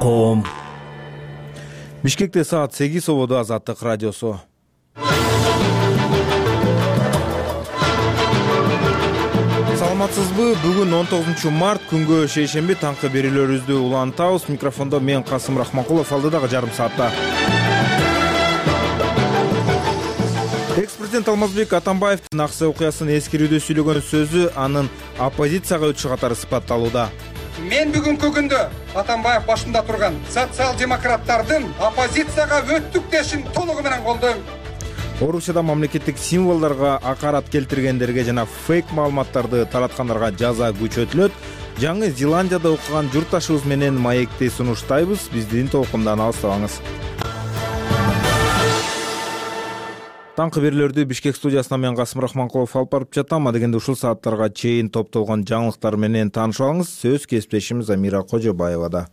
коом. Бишкекте саат 8 ободо Азаттык радиосу. Саламатсызбы? Бүгүн 19 март күнгө шейшемби таңкы берүүлөрүбүздү улантабыз. Микрофондо мен Касым Рахманкулов, алдыдагы жарым саатта. Экс-президент Алмазбек Атамбаевдин Аксай окуясын эскерүүдө сүйлөгөн сөзү анын оппозицияга өтүшү катары сыпатталууда. Мен бүгүнкү күндө Атамбаев башында турган социал-демократтардын оппозицияга өттүк дешин толугу менен колдойм. Орусияда мамлекеттик символдорго акарат келтиргендерге жана фейк маалыматтарды тараткандарга жаза күчөтүлөт. Жаңы Зеландияда окуган журтташыбыз менен маекти сунуштайбыз. Биздин толкундан алыстабаңыз. Таңкы берүүлөрдү Бишкек студиясынан мен Касым Рахманкулов алып барып жатам. Адегенде ушул сааттарга чейин топтолгон жаңылыктар менен таанышып алыңыз. Сөз кесиптешimiz Амира Кожобаевада.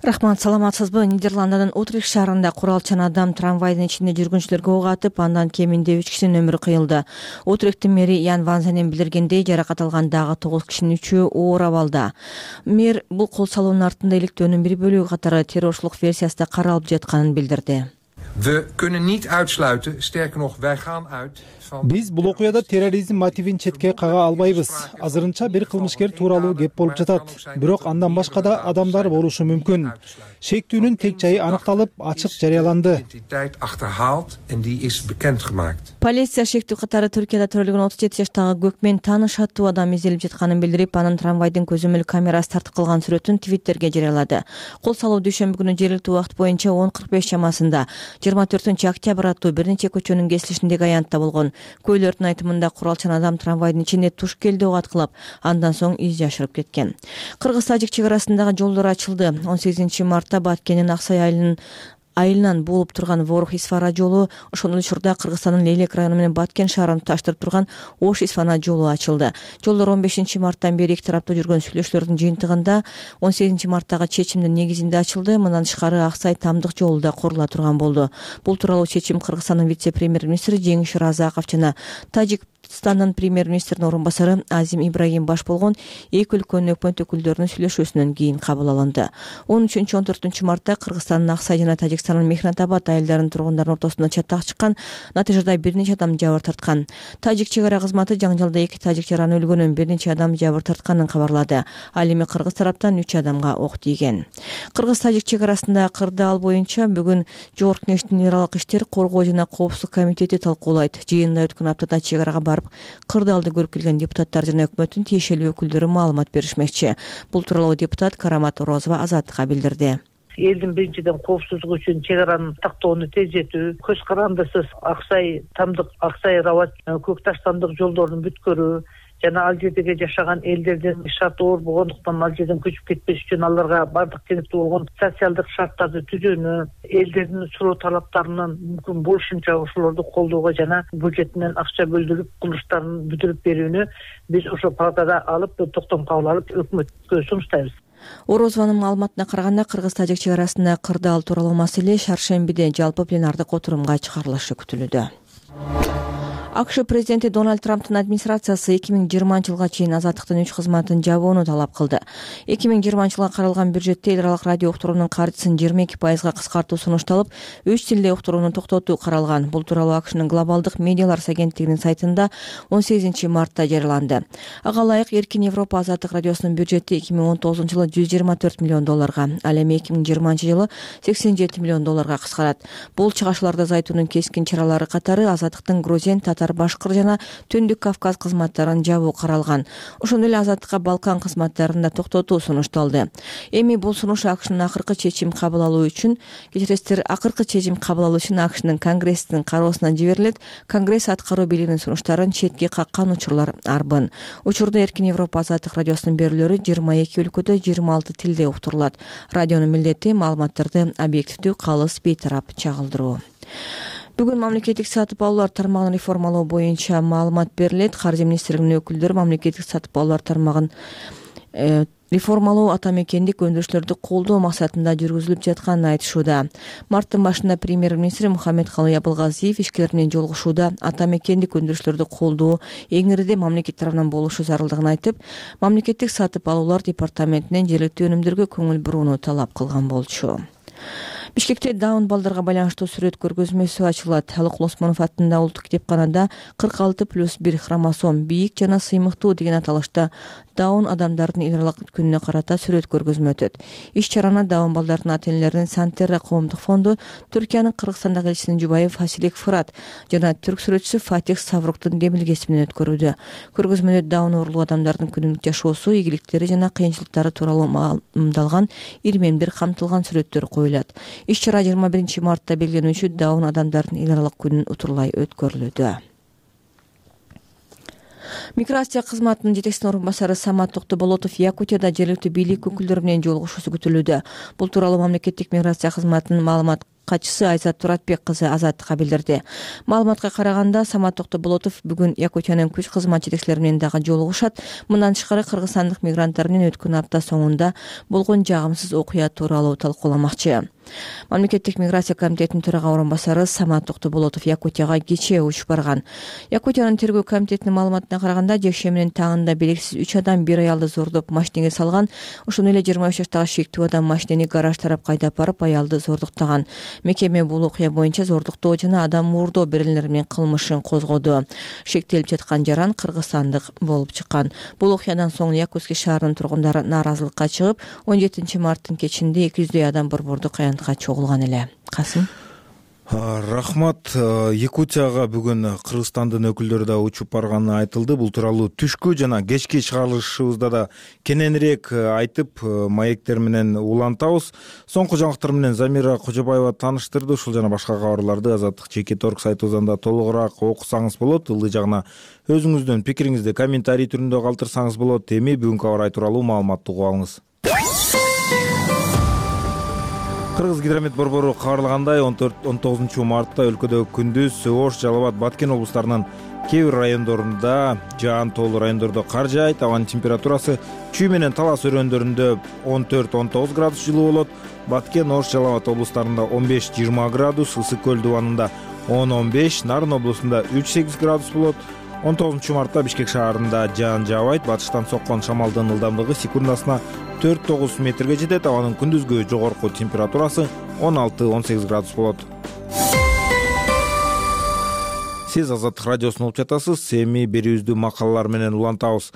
Рахмат, саламатсызбы? Нидерландынын Утрихт шаарында куралчан адам трамвайдын ичинде жүргүнчүлөргө ок атып, андан кеминде 3 кишинин өмүрү кыйылды. Утрихттин мэри Ян Ванзенен билдиргендей, жаракат алган дагы 9 кишинин 3-ü оор абалда. Мэр бул кол салуунун артында иликтөөнүн бир бөлүгү катары террорчулук версиясында каралып жатканын билдирди. We kunnen niet uitsluiten, sterker nog, wij gaan uit van... Биз бул окуяда терроризм мотивин четке кага албайбыз. Азырынча бир кылмышкер тууралуу кеп болуп жатат. Бирок андан башка да адамдар болушу мүмкүн. Шектүүнүн тек жайы аныкталып, ачык жарыяланды. Полиция шектүү катары Түркияда төрөлгөн 37 жаштагы көкмен тааныш аттуу адам изделип жатканын билдирип, анын трамвайдын көзөмөл камерасы тартып калган сүрөтүн Twitterге жарыялады. Кол салуу дүйшөмбү күнү жергиликтүү убакыт боюнча 10:45 чамасында 24-октябрь аттуу бир нече көчөнүн кесилишиндеги аянтта болгон. Көйлөрдүн айтымында куралчан адам трамвайдын ичинде туш келди ок аткылап, андан соң из жашырып кеткен. Кыргыз-тажик чек арасындагы жолдор ачылды. 18 мартта Баткендин Аксай айылынан болуп турган Ворух-Исфара жолу, ошол учурда Кыргызстандын Лейлек району менен Баткен шаарын туташтырып турган Ош-Исфана жолу ачылды. Жолдор 15 марттан бери эки тараптуу жүргөн сүйлөшүүлөрдүн жыйынтыгында 18 марттагы чечимдин негизинде ачылды. Мындан тышкары Аксай Тамдык жолу да курула турган болду. Бул тууралуу чечим Кыргызстандын вице-премьер-министри Жеңиш Разаков жана Тажикстандын премьер-министринин орун басары Азим Ибрагим баш болгон эки өлкөнүн өкмөт өкүлдөрүнүн сүйлөшүүсүнөн кийин кабыл алынды. 13-14 мартта Кыргызстандын Аксай жана Тажикстандын Мехнатабад айылдарынын тургундарын ортосунда чатак чыккан. Натыйжада бир нече адам жабыр тарткан. Тажик чек ара кызматы жаңжалда 2 тажик жараны өлгөнүн, бир нече адам жабыр тартканын кабарлады. Ал эми кыргыз тараптан 3 адамга ок тийген. Кыргыз-тажик чек арасында кырдаал боюнча бүгүн Жогорку Кеңештин Нералык иштер, коргоо жана коопсуздук комитети талкуулайт. Жыйында өткөн аптада чек арага барып, кырдаалды көрүп келген депутаттар жана өкмөттүн тиешелүү өкүлдөрү маалымат беришмекчи. Бул тууралуу депутат Карамат Орозова Азаттыкка билдирди. Элдин биринчиден коопсуздугу үчүн чек араны тактоону тездетүү, көз карандысыз Аксай Тамдык, Аксай Рабат, Көк Таш Тамдык жолдорун бүткөрүү жана ал жердеги жашаган элдердин шарты оор болгондуктан ал жерден көчүп кетпеш үчүн аларга бардык керектүү болгон социалдык шарттарды түзүүнү, элдердин суроо талаптарынын мүмкүн болушунча ошолорду колдоого жана бюджетинен акча бөлдүрүп курулуштарын бүтүрүп берүүнү биз ошо палатада алып, токтом кабыл алып өкмөткө сунуштайбыз. Орозованын маалыматына караганда, Кыргыз-тажик чек арасында кырдаал тууралуу маселе шаршембиде жалпы пленардык отурумга чыгарылышы күтүлүүдө. АКШ президенти Дональд Трамптын администрациясы 2020 жылга чейин Азаттыктын 3 кызматын жабууну талап кылды. 2020 жылга каралган бюджетте эл аралык радио уктуруунун каржысын 22%га кыскартуу сунушталып, 3 тилде уктурууну токтотуу каралган. Бул тууралуу АКШнын глобалдык медиалар агенттигинин сайтында 18 мартта жарыяланды. Ага ылайык Эркин Европа Азаттык радиосунун бюджети 2019 жылы $124 миллион, ал эми 2020 жылы $87 миллион кыскарат. Бул чыгашууларда Зайтунун кескин чаралары катары Азаттыктын грузин, татар, башкыр жана Түндүк Кавказ кызматтарын жабуу каралган. Ошондой эле Азаттыкка Балкан кызматтарын да токтотуу сунушталды. Эми бул сунуш АКШнын акыркы чечим кабыл алуу үчүн, АКШнын Конгресстин кароосуна жиберилет. Конгресс аткаруу бийлигинин сунуштарын четке каккан учурлар арбын. Учурда Эркин Европа Азаттык радиосунун берүүлөрү 22 өлкөдө 26 тилде уктурулат. Радионун милдети маалыматтарды объективдүү, калыс, бейтарап чагылдыруу. Бүгүн мамлекеттик сатып алуулар тармагын реформалоо боюнча маалымат берилет. Каржы министрлигинин өкүлдөрү мамлекеттик сатып алуулар тармагын реформалоо ата мекендик өндүрүштөрдү колдоо максатында жүргүзүлүп жатканын айтышууда. Марттын башында премьер-министр Мухаммедкалый Абылгазиев ишкерлер менен жолугушууда ата мекендик өндүрүштөрдү колдоо эң ириде мамлекет тарабынан болушу зарылдыгын айтып, мамлекеттик сатып алуулар департаментинен жергиликтүү өнүмдөргө көңүл бурууну талап кылган болчу. Бишкекте даун балдарга байланыштуу сүрөт көргөзмөсү ачылат. Алыкул Осмонов атындагы улуттук китепканада 46+1 хромосом бийик жана сыймыктуу деген аталышта даун адамдардын эл аралык күнүнө карата сүрөт көргөзмө өтөт. Иш-чараны даун балдардын ата-энелеринин Сантерра коомдук фонду, Түркиянын Кыргызстандагы элчисинин жубайы Фасилек Фырат жана түрк сүрөтчүсү Фатих Савруктун демилгеси менен өткөрүүдө. Көргөзмөдө даун оорулуу адамдардын күнүмдүк жашоосу, ийгиликтери жана кыйынчылыктары тууралуу маалымдалган ирмемдер камтылган сүрөттөр коюлат. Иш-чара 21 мартта белгиленүүчү даун адамдардын эл аралык күнүн утурлай өткөрүлүүдө. Миграция кызматынын жетекчисинин орун басары Самат Токтоболотов Якутияда жергиликтүү бийлик өкүлдөрү менен жолугушуусу күтүлүүдө. Бул тууралуу мамлекеттик миграция кызматынын маалымат катчысы Айзат Туратбек кызы Азаттыкка билдирди. Маалыматка караганда, Самат Токтоболотов бүгүн Якутиянын күч кызмат жетекчилери менен дагы жолугушат. Мындан тышкары кыргызстандык мигранттар менен өткөн апта соңунда болгон жагымсыз окуя тууралуу талкууламакчы. Мамлекеттик миграция комитетинин төрага орун басары Самат Токтоболотов Якутияга кечээ учуп барган. Якутиянын тергөө комитетинин маалыматына караганда, жекшемби менен таңында белгисиз 3 адам бир аялды зордоп машинеге салган. Ошондой эле 23 жаштагы шектүү адам машинени гараж тарап кайдап барып аялды зордуктаган. Мекеме бул окуя боюнча зордуктоо жана адам муурдоо берилери менен кылмышын козгоду. Шектелип жаткан жаран кыргызстандык болуп чыккан. Бул окуядан соң Якутский шаарынын тургундары нааразылыкка чыгып, 17 марттын кечинде 200 адам борбордук чогулган эле. Касым. Рахмат. Якутияга бүгүн Кыргызстандын өкүлдөрү да учуп барганы айтылды. Бул тууралуу түшкү жана кечки чыгарылышыбызда да кененирээк айтып, маектер менен улантабыз. Соңку жаңылыктар менен Замира Кожобаева тааныштырды. Ушул жана башка кабарларды Азаттык ЖК.орг сайтыбыздан да толугураак окусаңыз болот. Ылдый жагына өзүңүздүн пикириңизди комментарий түрүндө калтырсаңыз болот. Эми бүгүнкү абар тууралуу маалыматты угуп алыңыз. Кыргыз гидромет борбору кабарлагандай, 14-19 мартта өлкөдө күндүз Ош, Жалал Абад, Баткен облустарынын кээ бир райондорунда, жаан тоолуу райондордо кар жаайт. Абанын температурасы Чүй менен Талас өрөөндөрүндө 14-19 градус жылуу болот. Баткен, Ош, Жалал Абад облустарында 15-20 градус, Ысык көл дубанында 10-15, Нарын облусунда 3-8 градус болот. 19 мартта Бишкек шаарында жаан жаабайт. Батыштан соккон шамалдын ылдамдыгы секундасына 4-9 метрге жетет. Абанын күндүзгү жогорку температурасы 16-18 градус болот. Сиз Азаттык радиосун угуп жатасыз. Эми берүүбүздү макалалар менен улантабыз.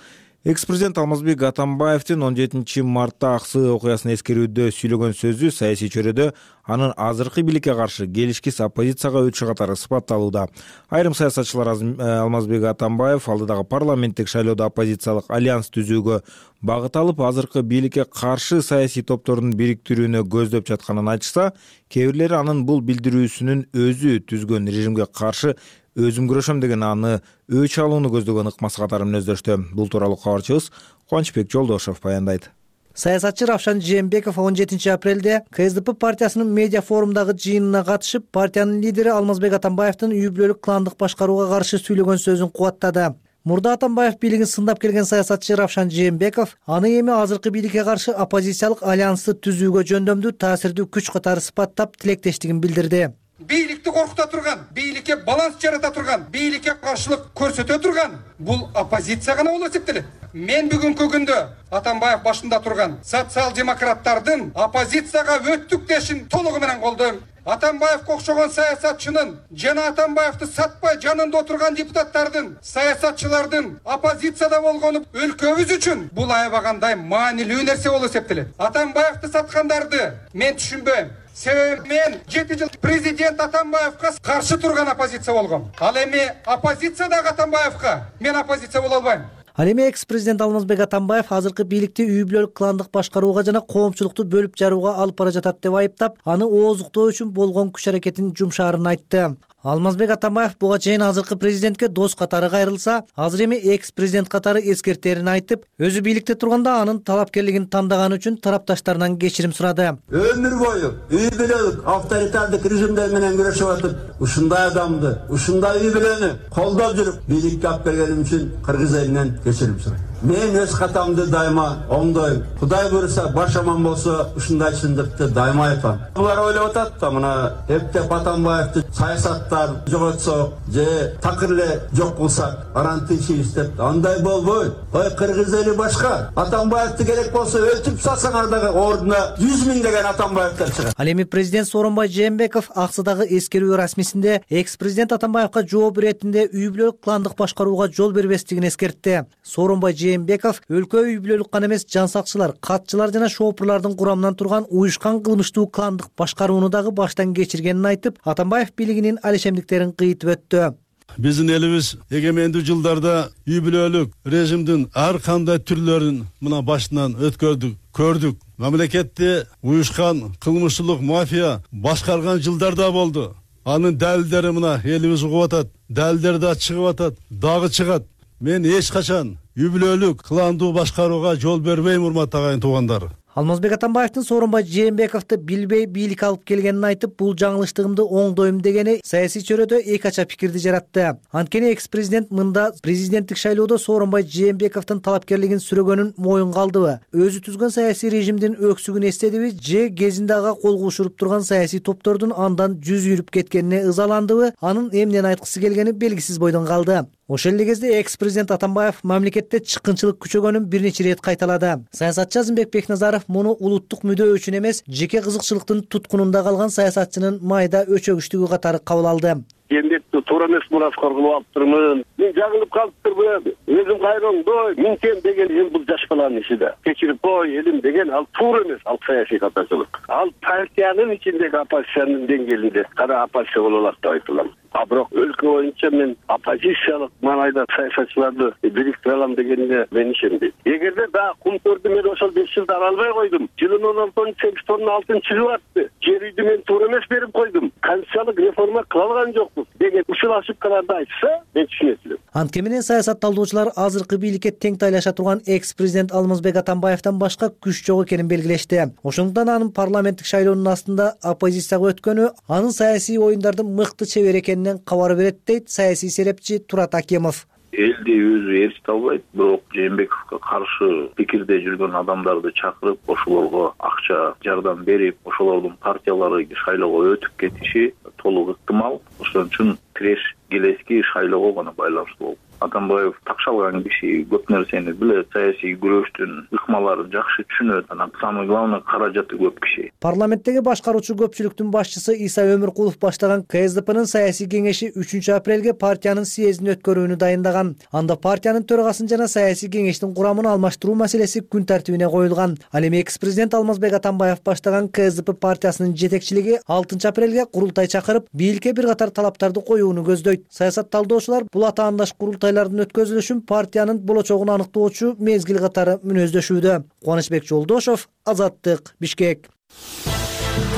Экс-президент Алмазбек Атамбаевдин 17 мартта Аксы окуясын эскерүүдө сүйлөгөн сөзү саясий чөйрөдө анын азыркы бийликке каршы келишкис оппозицияга өтүшү катары сыпатталууда. Айрым саясатчылар Алмазбек Атамбаев алдыдагы парламенттик шайлоодо оппозициялык альянс түзүүгө багыт алып, азыркы бийликке каршы саясий топтордун бириктирүүнү көздөп жатканын айтышса, кээ бирлери анын бул билдирүүсүнүн өзү түзгөн режимге каршы өзүм күрөшөм деген аны өч алууну көздөгөн ыкмасы катары мүнөздөштү. Бул тууралуу кабарчыбыз Кубанычбек Жолдошов баяндайт. Саясатчы Равшан Жээнбеков 17 апрелде КСДП партиясынын медиа форумдагы жыйынына катышып, партиянын лидери Алмазбек Атамбаевдин үй бүлөлүк кландык башкарууга каршы сүйлөгөн сөзүн кубаттады. Мурда Атамбаев бийлигин сындап келген саясатчы Равшан Жээнбеков аны эми азыркы бийликке каршы оппозициялык альянсты түзүүгө жөндөмдүү таасирдүү күч катары сыпаттап тилектештигин билдирди. Бийликти коркута турган, бийликке баланс жарата турган, бийликке каршылык көрсөтө турган бул оппозиция гана болуп эсептелет. Мен бүгүнкү күндө Атамбаев башында турган социал-демократтардын оппозицияга өттүк дешин толугу менен колдойм. Атамбаевке окшогон саясатчынын жана Атамбаевди сатпай жанында отурган депутаттардын, саясатчылардын оппозицияда болгону өлкөбүз үчүн бул аябагандай маанилүү нерсе болуп эсептелет. Атамбаевди саткандарды мен түшүнбөйм. Себеби мен 7 жыл президент Атамбаевка каршы турган оппозиция болгом. Ал эми оппозициядагы Атамбаевка мен оппозиция боло албайм. Ал эми экс-президент Алмазбек Атамбаев азыркы бийликти үй бүлөлүк кландык башкарууга жана коомчулукту бөлүп жарууга алып бара жатат деп айыптап, аны ооздуктоо үчүн болгон күч аракетин жумшаарын айтты. Алмазбек Атамбаев буга чейин азыркы президентке дос катары кайрылса, азыр эми экс-президент катары эскертерин айтып, өзү бийликте турганда анын талапкерлигин тандаганы үчүн тарапташтарынан кечирим сурады. Өмүр бою үй бүлөлүк авторитардык режимдер менен күрөшүп атып, ушундай адамды, ушундай үй бүлөнү колдоп жүрүп бийликке алып келгеним үчүн кыргыз элинен кечирим сурайм. Мен өз катамды дайыма оңдойм. Кудай буйруса баш аман болсо ушундай чындыкты дайыма айтам. Булар ойлоп атат да мына эптеп Атамбаевди саясаттан жоготсок же такыр эле жок кылсак анан тынчыбыз деп. Андай болбойт. Ой кыргыз эли башка. Атамбаевди керек болсо өлтүрүп салсаңар дагы ордуна 100 миңдеген Атамбаевдер чыгат. Ал эми президент Сооронбай Жээнбеков Аксыдагы эскерүү расмисинде экс-президент Атамбаевга жооп иретинде үй бүлөлүк кландык башкарууга жол бербестигин эскертти. Сооронбай Жээнбеков өлкө үй бүлөлүк гана эмес жан сакчылар, катчылар жана шоопурлардын курамынан турган уюшкан кылмыштуу кландык башкарууну дагы баштан кечиргенин айтып, Атамбаев бийлигинин алишемдиктерин кыйтып өттү. Биздин элибиз эгемендүү жылдарда үй бүлөлүк режимдин ар кандай түрлөрүн мына башынан өткөрдүк, көрдүк. Мамлекетти уюшкан кылмышчылык мафия башкарган жылдарда болду. Анын далилдери мына элибиз угуп атат. Далилдери да чыгып атат, дагы чыгат. Мен эч качан үй бүлөлүк кландуу башкарууга жол бербейм, урматтуу агайын туугандар. Алмазбек Атамбаевдин Сооронбай Жээнбековду билбей бийлик алып келгенин айтып, бул жаңылыштыгымды оңдойм дегени саясий чөйрөдө эки ача пикирди жаратты. Анткени экс-президент мында президенттик шайлоодо Сооронбай Жээнбековдун талапкерлигин сүрөгөнүн моюнга алдыбы, өзү түзгөн саясий режимдин өксүгүн эстедиби же кезинде ага кол кушуруп турган саясий топтордун андан жүз үйрүп кеткенине ызаландыбы, анын эмнени айткысы келгени белгисиз бойдон калды. Ошол эле кезде экс-президент Атамбаев мамлекетте чыккынчылык күчөгөнүн бир нече ирет кайталады. Саясатчы Азымбек Бекназаров муну улуттук мүдө үчүн эмес, жеке кызыкчылыктын туткунунда калган саясатчынын майда өчөгүчтүгү катары кабыл алды. Эмнекти туура эмес мураскор кылып алыптырмын. Мен жаңылып калыптырмын. Өзүм кайроңдой, минтем деген эл бул жаш баланын иши да. Кечирип кой элим деген ал туура эмес, ал саясий катачылык. Ал партиянын ичиндеги оппозициянын деңгээлинде кара оппозиция боло алат деп айтылам. А бирок өлкө боюнча мен оппозициялык маанайда саясатчыларды бириктире алам дегенине мен ишенбейм. Эгерде да кумтөрдү мен ошол 5 жылда ала албай койдум. Жылынын 16-алтын чыгып атты. Жер үйдү мен туура эмес берип койдум. Конституциялык реформа кыла алган жокпуз деген ушул ошибкаларды айтса, мен түшүнөт элем. Антке менен саясат талдоочулар азыркы бийликке тең тайлаша турган экс-президент Алмазбек Атамбаевден башка күч жок экенин белгилешти. Ошондуктан анын парламенттик шайлоонун астында оппозицияга өткөнү анын саясий оюндарды мыкты чебер экенинен кабар берет, дейт саясий серепчи Турат Акимов. Элди өзү ээрчите албайт, бирок Жээнбековго каршы пикирде жүргөн адамдарды чакырып, ошолорго акча жардам берип, ошолордун партиялары шайлоого өтүп кетиши толук ыктымал. Ошон үчүн тиреш келески шайлоого гана байланыштуу болуп. Атамбаев такшалган киши, көп нерсени билет, саясий күрөштүн ыкмаларын жакшы түшүнөт, анан самый главный каражаты көп киши. Парламенттеги башкаруучу көпчүлүктүн башчысы Иса Өмүркулов баштаган КСДПнын саясий кеңеши 3-апрелге партиянын съездин өткөрүүнү дайындаган. Анда партиянын төрагасын жана саясий кеңештин курамын алмаштыруу маселеси күн тартибине коюлган. Ал эми экс-президент Алмазбек Атамбаев баштаган КСДП партиясынын жетекчилиги 6-апрелге курултай чакырып, бийликке бир катар талаптарды коюуну көздөйт. Саясат талдоочулар бул атаандаш курултайлардын өткөзүлүшүн партиянын болочогун аныктоочу мезгил катары мүнөздөшүүдө. Кубанычбек Жолдошов, Азаттык, Бишкек.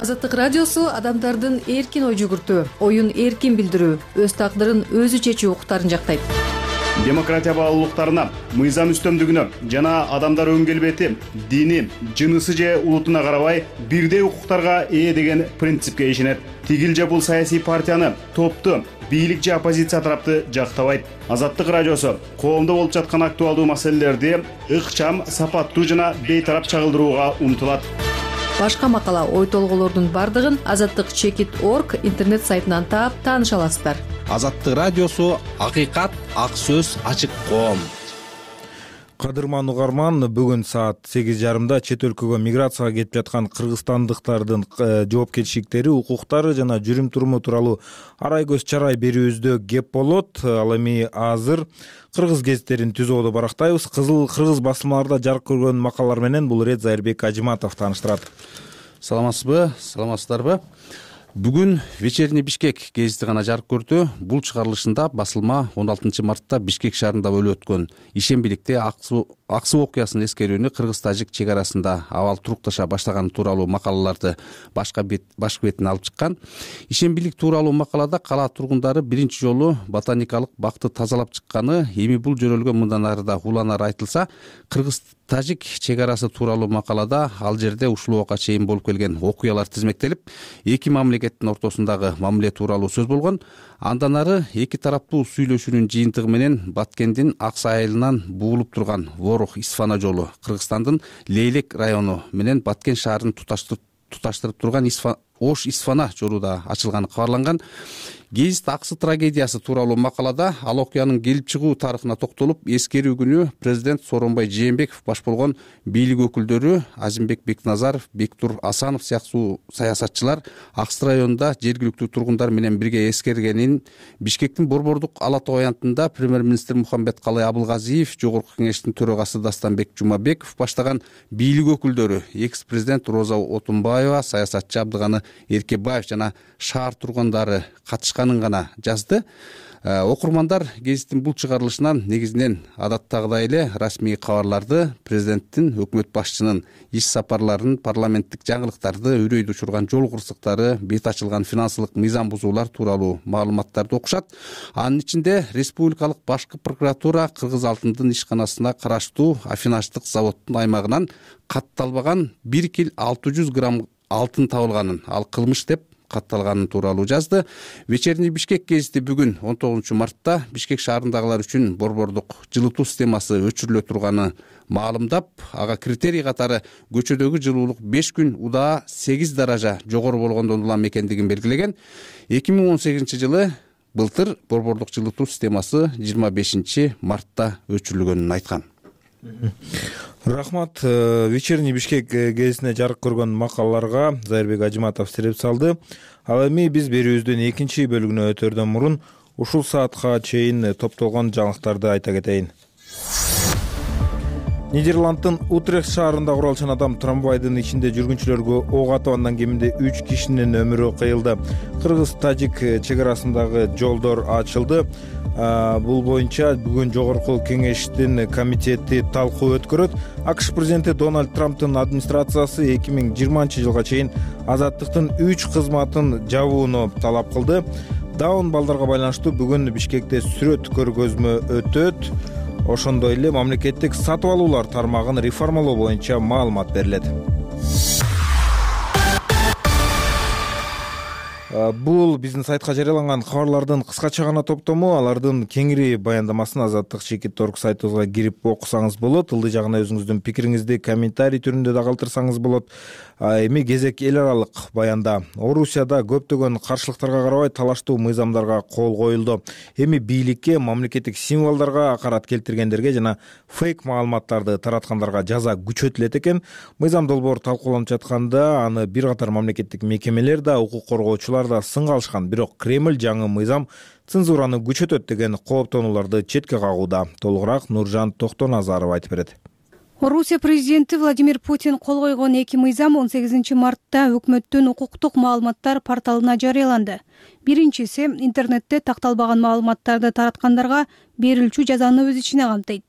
Азаттык радиосу адамдардын эркин ой жүгүртүү, оюн эркин билдирүү, өз тагдырын өзү чечүү укуктарын жактайт. Демократия баалуулуктарына, мыйзам үстөмдүгүнө жана адамдар өң келбети, дини, жынысы же улутуна карабай бирдей укуктарга ээ деген принципке ишенет. Тигил же бул саясий партияны, топту, бийлик же оппозиция тарапты жактабайт. Азаттык радиосу коомдо болуп жаткан актуалдуу маселелерди ыкчам, сапаттуу жана бейтарап чагылдырууга умтулат. Башка макала, ой толголордун бардыгын azattik.org интернет сайтынан таап тааныша аласыздар. Азаттык радиосу акыйкат, ак сөз, ачык коом. Кадырман угарман, бүгүн саат 8:30 чет өлкөгө миграцияга кетип жаткан кыргызстандыктардын жоопкерчиликтери, укуктары жана жүрүм туруму тууралуу арай көз чарай берүүбүздө кеп болот. Ал эми азыр кыргыз гезиттерин түзүүдө барактайбыз. Кыргыз басылмаларда жарык көргөн макалалар менен бул Рет Зайырбек Ажиматов тааныштырат. Саламатсызбы, саламатсыздарбы? Бүгүн Вечерний Бишкек гезити гана жарык көрдү. Бул чыгарылышында басылма 16 мартта Бишкек шаарында болуп өткөн ишембиликте аксы окуясынын эскерүүнү кыргыз-тажик чек арасында абал турукташа баштаганы тууралуу макалаларды башкы бетине алып чыккан. Ишембилик тууралуу макалада кала тургундары биринчи жолу ботаникалык бакты тазалап чыкканы, эми бул жөнөлгө мындан ары да уланары айтылса, Кыргыз-Тажик чек арасы тууралуу макалада ал жерде ушул убакка чейин болуп келген окуялар тизмектелип, эки мамлекеттин ортосундагы мамиле тууралуу сөз болгон. Андан ары эки тараптуу сүйлөшүүнүн жыйынтыгы менен Баткендин Аксы айылынан буулуп турган Ворох-Исфана жолу Кыргызстандын Лейлек району менен Баткен шаарын туташтырып турган Ош-Исфана жолу да ачылганы кабарланган. Гезит Аксы трагедиясы тууралуу макалада ал окуянын келип чыгуу тарыхына токтолуп, эскерүү күнү президент Сооронбай Жээнбеков баш болгон бийлик өкүлдөрү Азимбек Бекназаров, Бектур Асанов сыяктуу саясатчылар Аксы районунда жергиликтүү тургундар менен бирге эскергенин Бишкектин Борбордук ала тоо аянтында премьер-министр Мухаммедкалый Абылгазиев, Жогорку Кеңештин төрагасы Дастанбек Жумабеков баштаган бийлик өкүлдөрү, экс-президент Роза Отунбаева, саясатчы Абдыганы Эркебаев жана шаар тургундары катышканын гана жазды. Окурмандар гезиттин бул чыгарылышынан негизинен адаттагыдай эле расмий кабарларды, президенттин, өкмөт башчынын иш сапарларын, парламенттик жаңылыктарды, үрөйдү учурган жол кырсыктары, бет ачылган финансылык мыйзам бузуулар тууралуу маалыматтарды окушат. Анын ичинде Республикалык башкы прокуратура Кыргыз алтындын ишканасына караштуу аффинаждык заводдун аймагынан катталбаган 1 кил 600 грамм алтын табылганын, ал кылмыш деп катталганы тууралуу жазды. Вечерний Бишкек гезити бүгүн 19 мартта Бишкек шаарындагылар үчүн борбордук жылытуу системасы өчүрүлө турганы маалымдап, ага критерий катары көчөдөгү жылуулук 5 күн удаа 8 даража жогору болгондон улам экендигин белгилеген. 2018 жылы былтыр борбордук жылытуу системасы 25 мартта өчүрүлгөнүн айткан. Рахмат. Вечерний Бишкек гезитине жарык көргөн макалаларга Зайырбек Ажиматов сереп салды. Ал эми биз берүүбүздүн экинчи бөлүгүнө өтөрдөн мурун ушул саатка чейин топтолгон жаңылыктарды айта кетейин. Нидерланддын Утрехт шаарында куралчан адам трамвайдын ичинде жүргүнчүлөргө ок атып, андан кеминде 3 кишинин өмүрү кыйылды. Кыргыз-Тажик чек арасындагы жолдор ачылды. Бул боюнча бүгүн Жогорку Кеңештин комитети талкуу өткөрөт. АКШ президенти Дональд Трамптын администрациясы 2020 жылга чейин азаттыктын 3 кызматын жабууну талап кылды. Даун балдарга байланыштуу бүгүн Бишкекте сүрөт көргөзмө өтөт. Ошондой эле мамлекеттик сатып алуулар тармагын реформалоо боюнча маалымат берилет. Бул биздин сайтка жарыяланган кабарлардын кыскача гана топтому. Алардын кеңири баяндамасын azatlyk.org сайтыбызга кирип окусаңыз болот. Ылдый жагына өзүңүздүн пикириңизди комментарий түрүндө да калтырсаңыз болот. Эми кезек эл аралык баянда. Орусияда көптөгөн каршылыктарга карабай талаштуу мыйзамдарга кол коюлду. Эми бийликке, мамлекеттик символдорго акарат келтиргендерге жана фейк маалыматтарды тараткандарга жаза күчөтүлөт экен. Мыйзам долбоор талкууланып жатканда аны бир катар мамлекеттик мекемелер да, укук коргоочулар да сынга алышкан. Бирок Кремль жаңы мыйзам цензураны күчөтөт деген кооптонууларды четке кагууда. Толугураак Нуржан Токтоназаров айтып берет. Орусия президенти Владимир Путин кол койгон эки мыйзам 18 мартта өкмөттүн укуктук маалыматтар порталына жарыяланды. Биринчиси интернетте такталбаган маалыматтарды тараткандарга берилчү жазаны өз ичине камтыйт.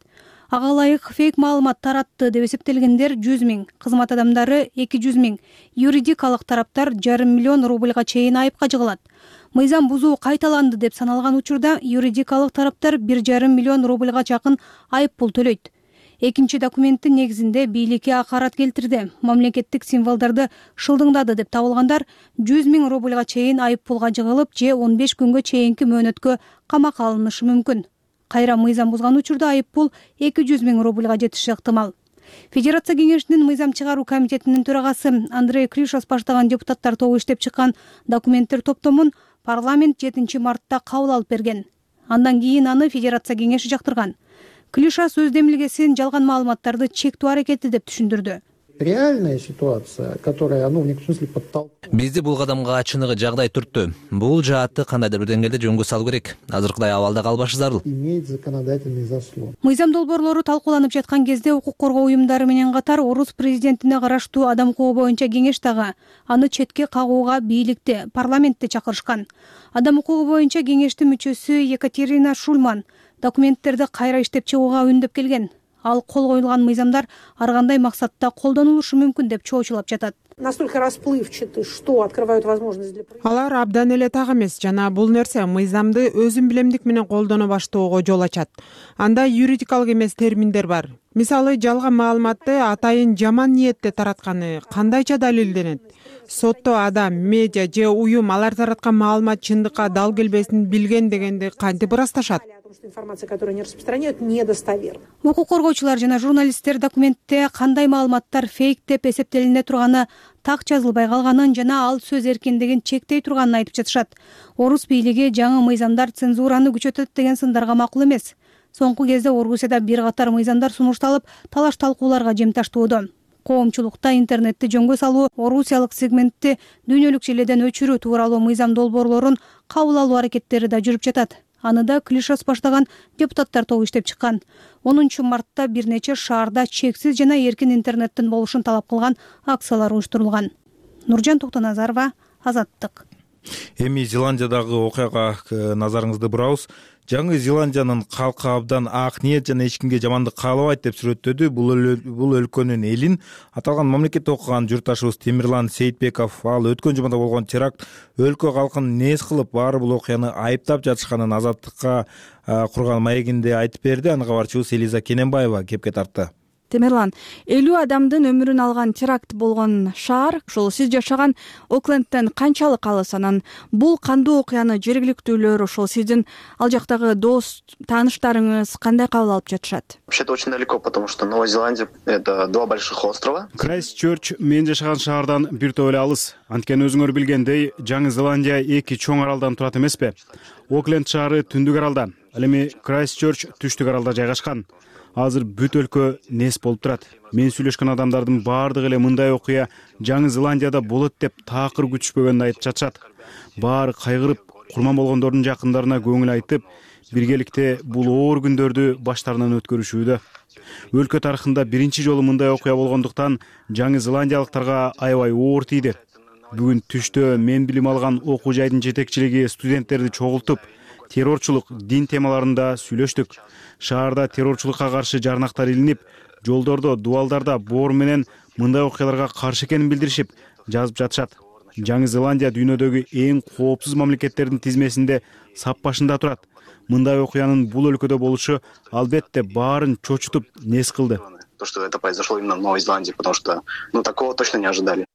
Ага ылайык фейк маалымат таратты деп эсептелгендер 100 000, кызмат адамдары 200 000, юридикалык тараптар 500 000 рубльга чейин айыпка жыгылат. Мыйзам бузуу кайталанды деп саналган учурда юридикалык тараптар 1,5 миллион рубльга жакын айып пул төлөйт. Экинчи документтин негизинде бийликке акарат келтирди, мамлекеттик символдорду шылдыңдады деп табылгандар 100 000 рубльга чейин айып пулга жыгылып, же 15 күнгө чейинки мөөнөткө камакка алынышы мүмкүн. Кайра мыйзам бузган учурда айып пул 200 000 рубльга жетиши ыктымал. Федерация кеңешинин мыйзам чыгаруу комитетинин төрагасы Андрей Кришос баштаган депутаттар тобу иштеп чыккан документтер топтомун парламент 7 мартта кабыл алып берген. Андан кийин аны Федерация кеңеши жактырган. Клиша сөз демилгесин жалган маалыматтарды чектөө аракети деп түшүндүрдү. Реальная ситуация, которая, в некотором смысле подтолкнула. Бизди бул кадамга чыныгы жагдай түрттү. Бул жаатты кандайдыр бир деңгээлде жөнгө салуу керек. Азыркыдай абалда калбашы зарыл. Имеет законодательный заслон. Мыйзам долбоорлору талкууланып жаткан кезде укук коргоо уюмдары менен катар орус президентине караштуу адам укугу боюнча кеңеш дагы аны четке кагууга бийликте, парламентте чакырышкан. Адам укугу боюнча кеңештин мүчөсү Екатерина Шульман документтерди кайра иштеп чыгууга үндөп келген. Ал кол коюлган мыйзамдар ар кандай максатта колдонулушу мүмкүн деп чоочулап жатат. Настолько расплывчаты, что открывают возможность для... Алар абдан эле так эмес жана бул нерсе мыйзамды өзүн билемдик менен колдоно баштоого жол ачат. Анда юридикалык эмес терминдер бар. Мисалы жалган маалыматты атайын жаман ниетте таратканы кандайча далилденет? Сотто адам, медиа же уюм алар тараткан маалымат чындыкка дал келбесин билген дегенди кантип ырасташат? Информация, которую они распространяют, недостоверна. Укук коргоочулар жана журналисттер документте кандай маалыматтар фейк деп эсептелине турганы, так жазылбай калганын жана ал сөз эркиндигин чектей турганын айтып жатышат. Орус бийлиги жаңы мыйзамдар цензураны күчөтөт деген сындарга макул эмес. Соңку кезде Орусияда бир катар мыйзамдар сунушталып, талаш талкууларга жем таштоодо. Коомчулукта интернетти жөнгө салуу, орусиялык сегментти дүйнөлүк желеден өчүрүү тууралуу мыйзам долбоорлорун кабыл алуу аракеттери да жүрүп жатат. Аны да Клишос баштаган депутаттар тобу иштеп чыккан. 10 мартта бир нече шаарда чексиз жана эркин интернеттин болушун талап кылган акциялар уюштурулган. Нуржан Токтоназарова, Азаттык. Эми Зеландиядагы окуяга назарыңызды бурабыз. Жаңы Зеландиянын калкы абдан ак ниет жана эч кимге жамандык каалабайт деп сүрөттөдү. Бул өлкөнүн элин аталган мамлекетте окуган журтташыбыз Темирлан Сейитбеков ал өткөн жумада болгон теракт өлкө калкын нээс кылып баары бул окуяны айыптап жатышканын Азаттыкка курган маегинде айтып берди. Аны кабарчыбыз Элиза Кененбаева кепке тартты. Темирлан, 50 адамдын өмүрүн алган теракт болгон шаар, ошол сиз жашаган Оклендтен канчалык алыс? Анан бул кандуу окуяны жергиликтүүлөр, ошол сиздин ал жактагы дос, тааныштарыңыз кандай кабыл алып жатышат? Вообще-то очень далеко, потому что Новая Зеландия — это 2 больших острова. Крайстчерч мен жашаган шаардан бир топ эле алыс. Анткени өзүңөр билгендей, Жаңы Зеландия 2 чоң аралдан турат эмеспи? Окленд шаары түндүк аралда, ал эми Крайстчерч түштүк аралда жайгашкан. Азыр бүт өлкө нес болуп турат. Мен сүйлөшкөн адамдардын баардыгы эле мындай окуя Жаңы Зеландияда болот деп таакыр күтүшпөгөнүн айтып жатышат. Баары кайгырып, курман болгондордун жакындарына көңүл айтып, биргеликте бул оор күндөрдү баштарынан өткөрүшүүдө. Өлкө тарыхында биринчи жолу мындай окуя болгондуктан Жаңы Зеландиялыктарга аябай оор тийди. Бүгүн түштө мен билим алган окуу жайдын жетекчилиги студенттерди чогултуп, террорчулук, дин темаларында сүйлөштүк. Шаарда террорчулукка каршы жарнактар илинип, жолдордо, дубалдарда боор менен мындай окуяларга каршы экенин билдиришип, жазып жатышат. Жаңы Зеландия дүйнөдөгү эң коопсуз мамлекеттердин тизмесинде сап башында турат. Мындай окуянын бул өлкөдө болушу албетте баарын чочутуп, нес кылды. То, что это произошло именно в Новой Зеландии, потому что такого точно не ожидали.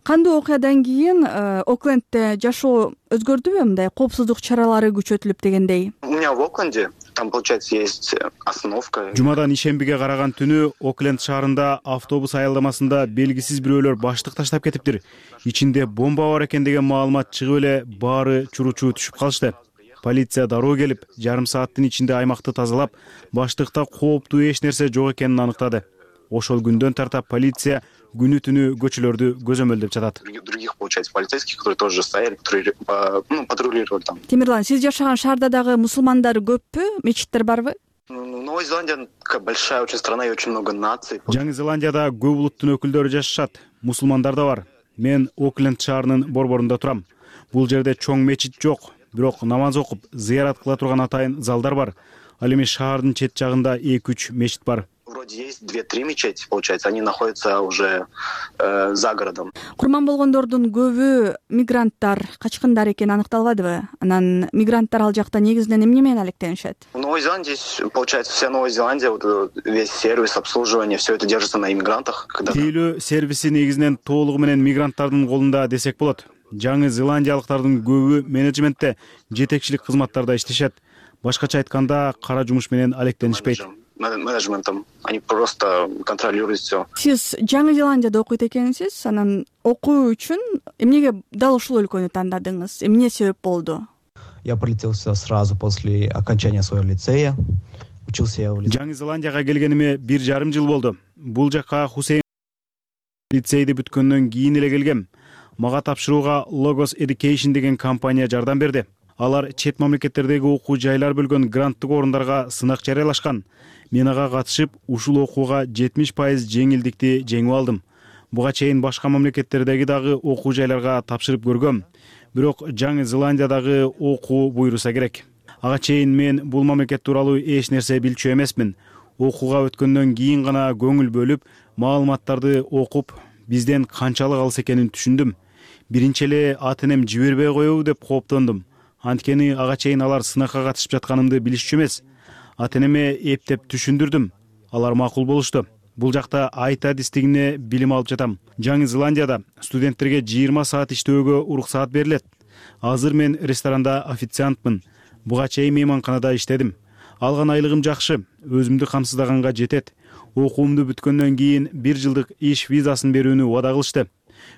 Кандуу окуядан кийин Оклендте жашоо өзгөрдүбү? Мындай коопсуздук чаралары күчөтүлүп дегендей. У меня в Окленде там, получается, есть остановка. Жумадан ишембиге караган түнү Окленд шаарында автобус аялдамасында белгисиз бирөөлөр баштык таштап кетиптир. Ичинде бомба бар экен деген маалымат чыгып эле баары чуручу түшүп калышты. Полиция дароо келип, жарым сааттын ичинде аймакты тазалап, баштыкта кооптуу эч нерсе жок экенин аныктады. Ошол күндөн тартап полиция күнү түнү көчөлөрдү көзөмөлдөп жатат. Других, получается, полицейских, которые тоже стояли, которые патрулировали там. Темирлан, сиз жашаган шаарда дагы мусулмандар көппү? Мечиттер барбы? Новая Зеландия такая большая очень страна и очень много наций. Жаңы Зеландияда көп улуттун өкүлдөрү жашашат, мусулмандар да бар. Мен Окленд шаарынын борборунда турам. Бул жерде чоң мечит жок, бирок намаз окуп, зыярат кыла турган атайын залдар бар. Ал эми шаардын чет жагында 2-3 мечит бар. Вроде есть 2-3 мечети, получается, они находятся уже за городом. Курман болгондордун көбү мигранттар, качкындар экени аныкталбадыбы? Анан мигранттар ал жакта негизинен эмне менен алектенишет? В Новой Зеландии, получается, вся Новая Зеландия, весь сервис, обслуживание, все это держится на иммигрантах. Тейлөө сервиси негизинен толугу менен мигранттардын колунда десек болот. Жаңы Зеландиялыктардын көбү менеджментте, жетекчилик кызматтарда иштешет. Башкача айтканда, кара жумуш менен алектенишпейт. Менеджментом. Они просто контролируют все. Сиз Жаңы Зеландияда окуйт экенсиз, анан окуу үчүн эмнеге дал ушул өлкөнү тандадыңыз? Эмне себеп болду? Я прилетел сразу после окончания своего лицея. Учился я в лицее. Жаңы Зеландияга келгениме 1,5 жыл болду. Бул жакка Хусейн лицейди бүткөндөн кийин эле келгем. Мага тапшырууга Logos Education деген компания жардам берди. Алар чет мамлекеттердеги окуу жайлар бөлгөн гранттык орундарга сынак жарыялашкан. Мен ага катышып, ушул окууга 70% жеңилдикти жеңип алдым. Буга чейин башка мамлекеттердеги дагы окуу жайларга тапшырып көргөм. Бирок Жаңы Зеландиядагы окуу буйруса керек. Ага чейин мен бул мамлекет тууралуу эч нерсе билчү эмесмин. Окууга өткөндөн кийин гана көңүл бөлүп, маалыматтарды окуп, бизден канчалык алыс экенин түшүндүм. Биринчи эле ата-энем жибербей коебу деп кооптондум. Анткени ага чейин алар сынакка катышып жатканымды билишчү эмес. Ата-энеме эптеп түшүндүрдүм. алар макул болушту. Бул жакта айт адистигине билим алып жатам. Жаңы Зеландияда студенттерге 20 саат иштөөгө уруксаат берилет. Азыр мен ресторанда официантмын. Буга чейин мейманканада иштедим. Алган айлыгым жакшы, өзүмдү камсыздаганга жетет. Окуумду бүткөндөн кийин 1 жылдык иш визасын берүүнү убада кылышты.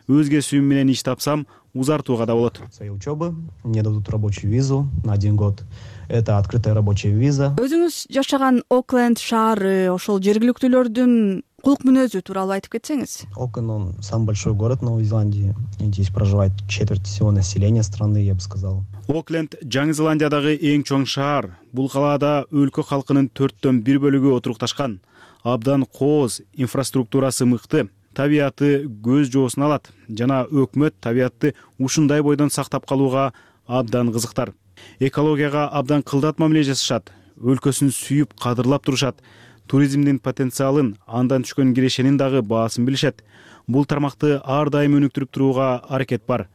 Өз кесибим менен иш тапсам, узартууга да болот. Своей учебы мне дадут рабочую визу на 1 год. Это открытая рабочая виза. Өзүңүз жашаган Окленд шаары, ошол жергиликтүүлөрдүн кулк мүнөзү тууралуу айтып кетсеңиз. Окленд, он самый большой город Новой Зеландии. Здесь проживает четверть всего населения страны, я бы сказал. Окленд Жаңы Зеландиядагы эң чоң шаар. Бул калаада өлкө халкынын 4/1 бөлүгү отурукташкан. Абдан кооз, инфраструктурасы мыкты, табияты көз жоосун алат жана өкмөт табиятты ушундай бойдон сактап калууга абдан кызыктар. Экологияга абдан кылдат мамиле жасашат, өлкөсүн сүйүп кадырлап турушат. Туризмдин потенциалын, андан түшкөн кирешенин дагы баасын билишет. Бул тармакты ар дайым өнүктүрүп турууга аракет бар.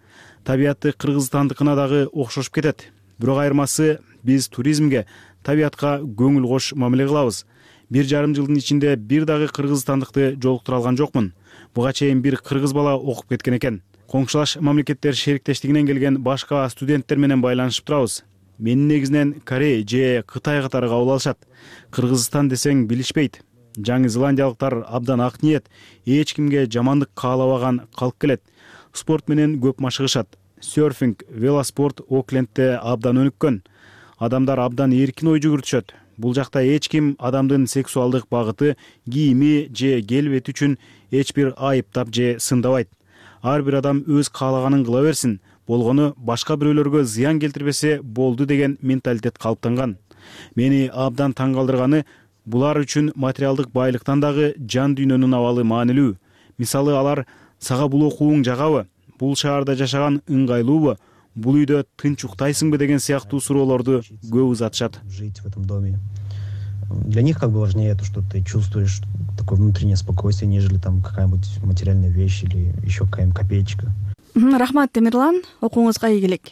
Табиятты Кыргызстандыкына дагы окшошуп кетет. Бирок айырмасы биз туризмге, табиятка көңүл кош мамиле кылабыз. 1,5 жылдын ичинде бир дагы кыргызстандыкты жолуктура алган жокмун. Буга чейин бир кыргыз бала окуп кеткен экен. Коңшулаш мамлекеттер шериктештигинен келген башка студенттер менен байланышып турабыз. Мени негизинен Корей же Кытай катары кабыл алышат. Кыргызстан десең билишпейт. Жаңы зеландиялыктар абдан ак ниет, эч кимге жамандык каалабаган калк келет. Спорт менен көп машыгышат. Серфинг, велоспорт Оклендте абдан өнүккөн. Адамдар абдан эркин ой жүгүртүшөт. Бул жакта эч ким адамдын сексуалдык багыты, кийими же келбети үчүн эч бир айыптап же сындабайт. Ар бир адам өз каалаганын кыла берсин, болгону башка бирөөлөргө зыян келтирбесе болду деген менталитет калыптанган. Мени абдан таң калтырганы, булар үчүн материалдык байлыктан дагы жан дүйнөнүн абалы маанилүү. Мисалы алар сага бул окууң жагабы, бул шаарда жашаган ыңгайлуубу, бул үйдө тынч уктайсыңбы деген сыяктуу суроолорду көп узатышат. Жить в этом доме. Для них как бы важнее то, что ты чувствуешь такое внутреннее спокойствие, нежели там какая-нибудь материальная вещь или еще какая-нибудь копеечка. Рахмат, Темирлан, окууңузга ийгилик.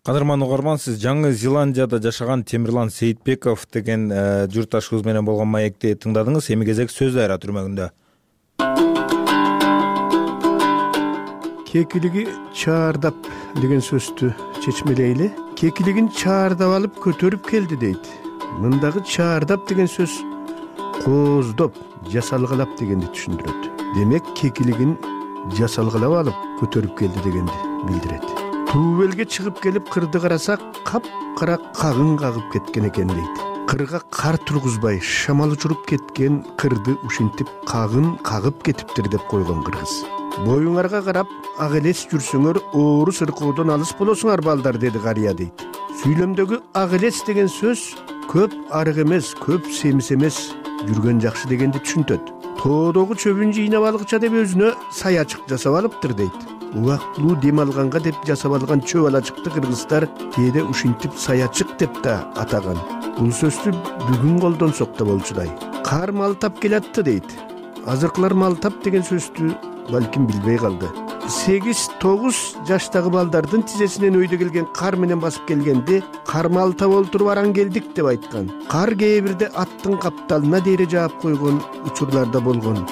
Кадырман угарман, сиз Жаңы Зеландияда жашаган Темирлан Сейитбеков деген журтташыбыз менен болгон маекти тыңдадыңыз. Эми кезек сөз дайра түрмөгүндө. Кекилиги чаардап деген сөздү чечмелейли. Кекилигин чаардап алып көтөрүп келди дейт. Мындагы чаардап деген сөз кооздоп, жасалгалап дегенди түшүндүрөт. Демек кекилигин жасалгалап алып көтөрүп келди дегенди билдирет. Туубелге чыгып келип кырды карасак, кап-кара кагын кагып кеткен экен дейт. Кырга кар тургузбай шамал учуруп кеткен кырды ушинтип кагын кагып кетиптир деп койгон кыргыз. Боюңарга карап ак элес жүрсөңөр оору сыркоодон алыс болосуңар балдар, деди карыя дейт. Сүйлөмдөгү ак элес деген сөз көп арык эмес, көп семиз эмес, жүргөн жакшы дегенди түшүнтөт. Тоодогу чөбүн жыйнап алгыча деп өзүнө саячык жасап алыптыр дейт. Убактылуу дем алганга деп жасап алган чөп алачыкты кыргыздар кээде ушинтип саячык деп да атаган. Бул сөздү бүгүн колдонсок да болчудай. Кар малтап келатты дейт. Азыркылар малтап деген сөздү балким билбей калды. 8-9 жаштагы балдардын тизесинен өйдө келген кар менен басып келгенде кар малтап олтуруп аран келдик деп айткан. Кар кээ бирде аттын капталына дейре жаап койгон учурларда болгон.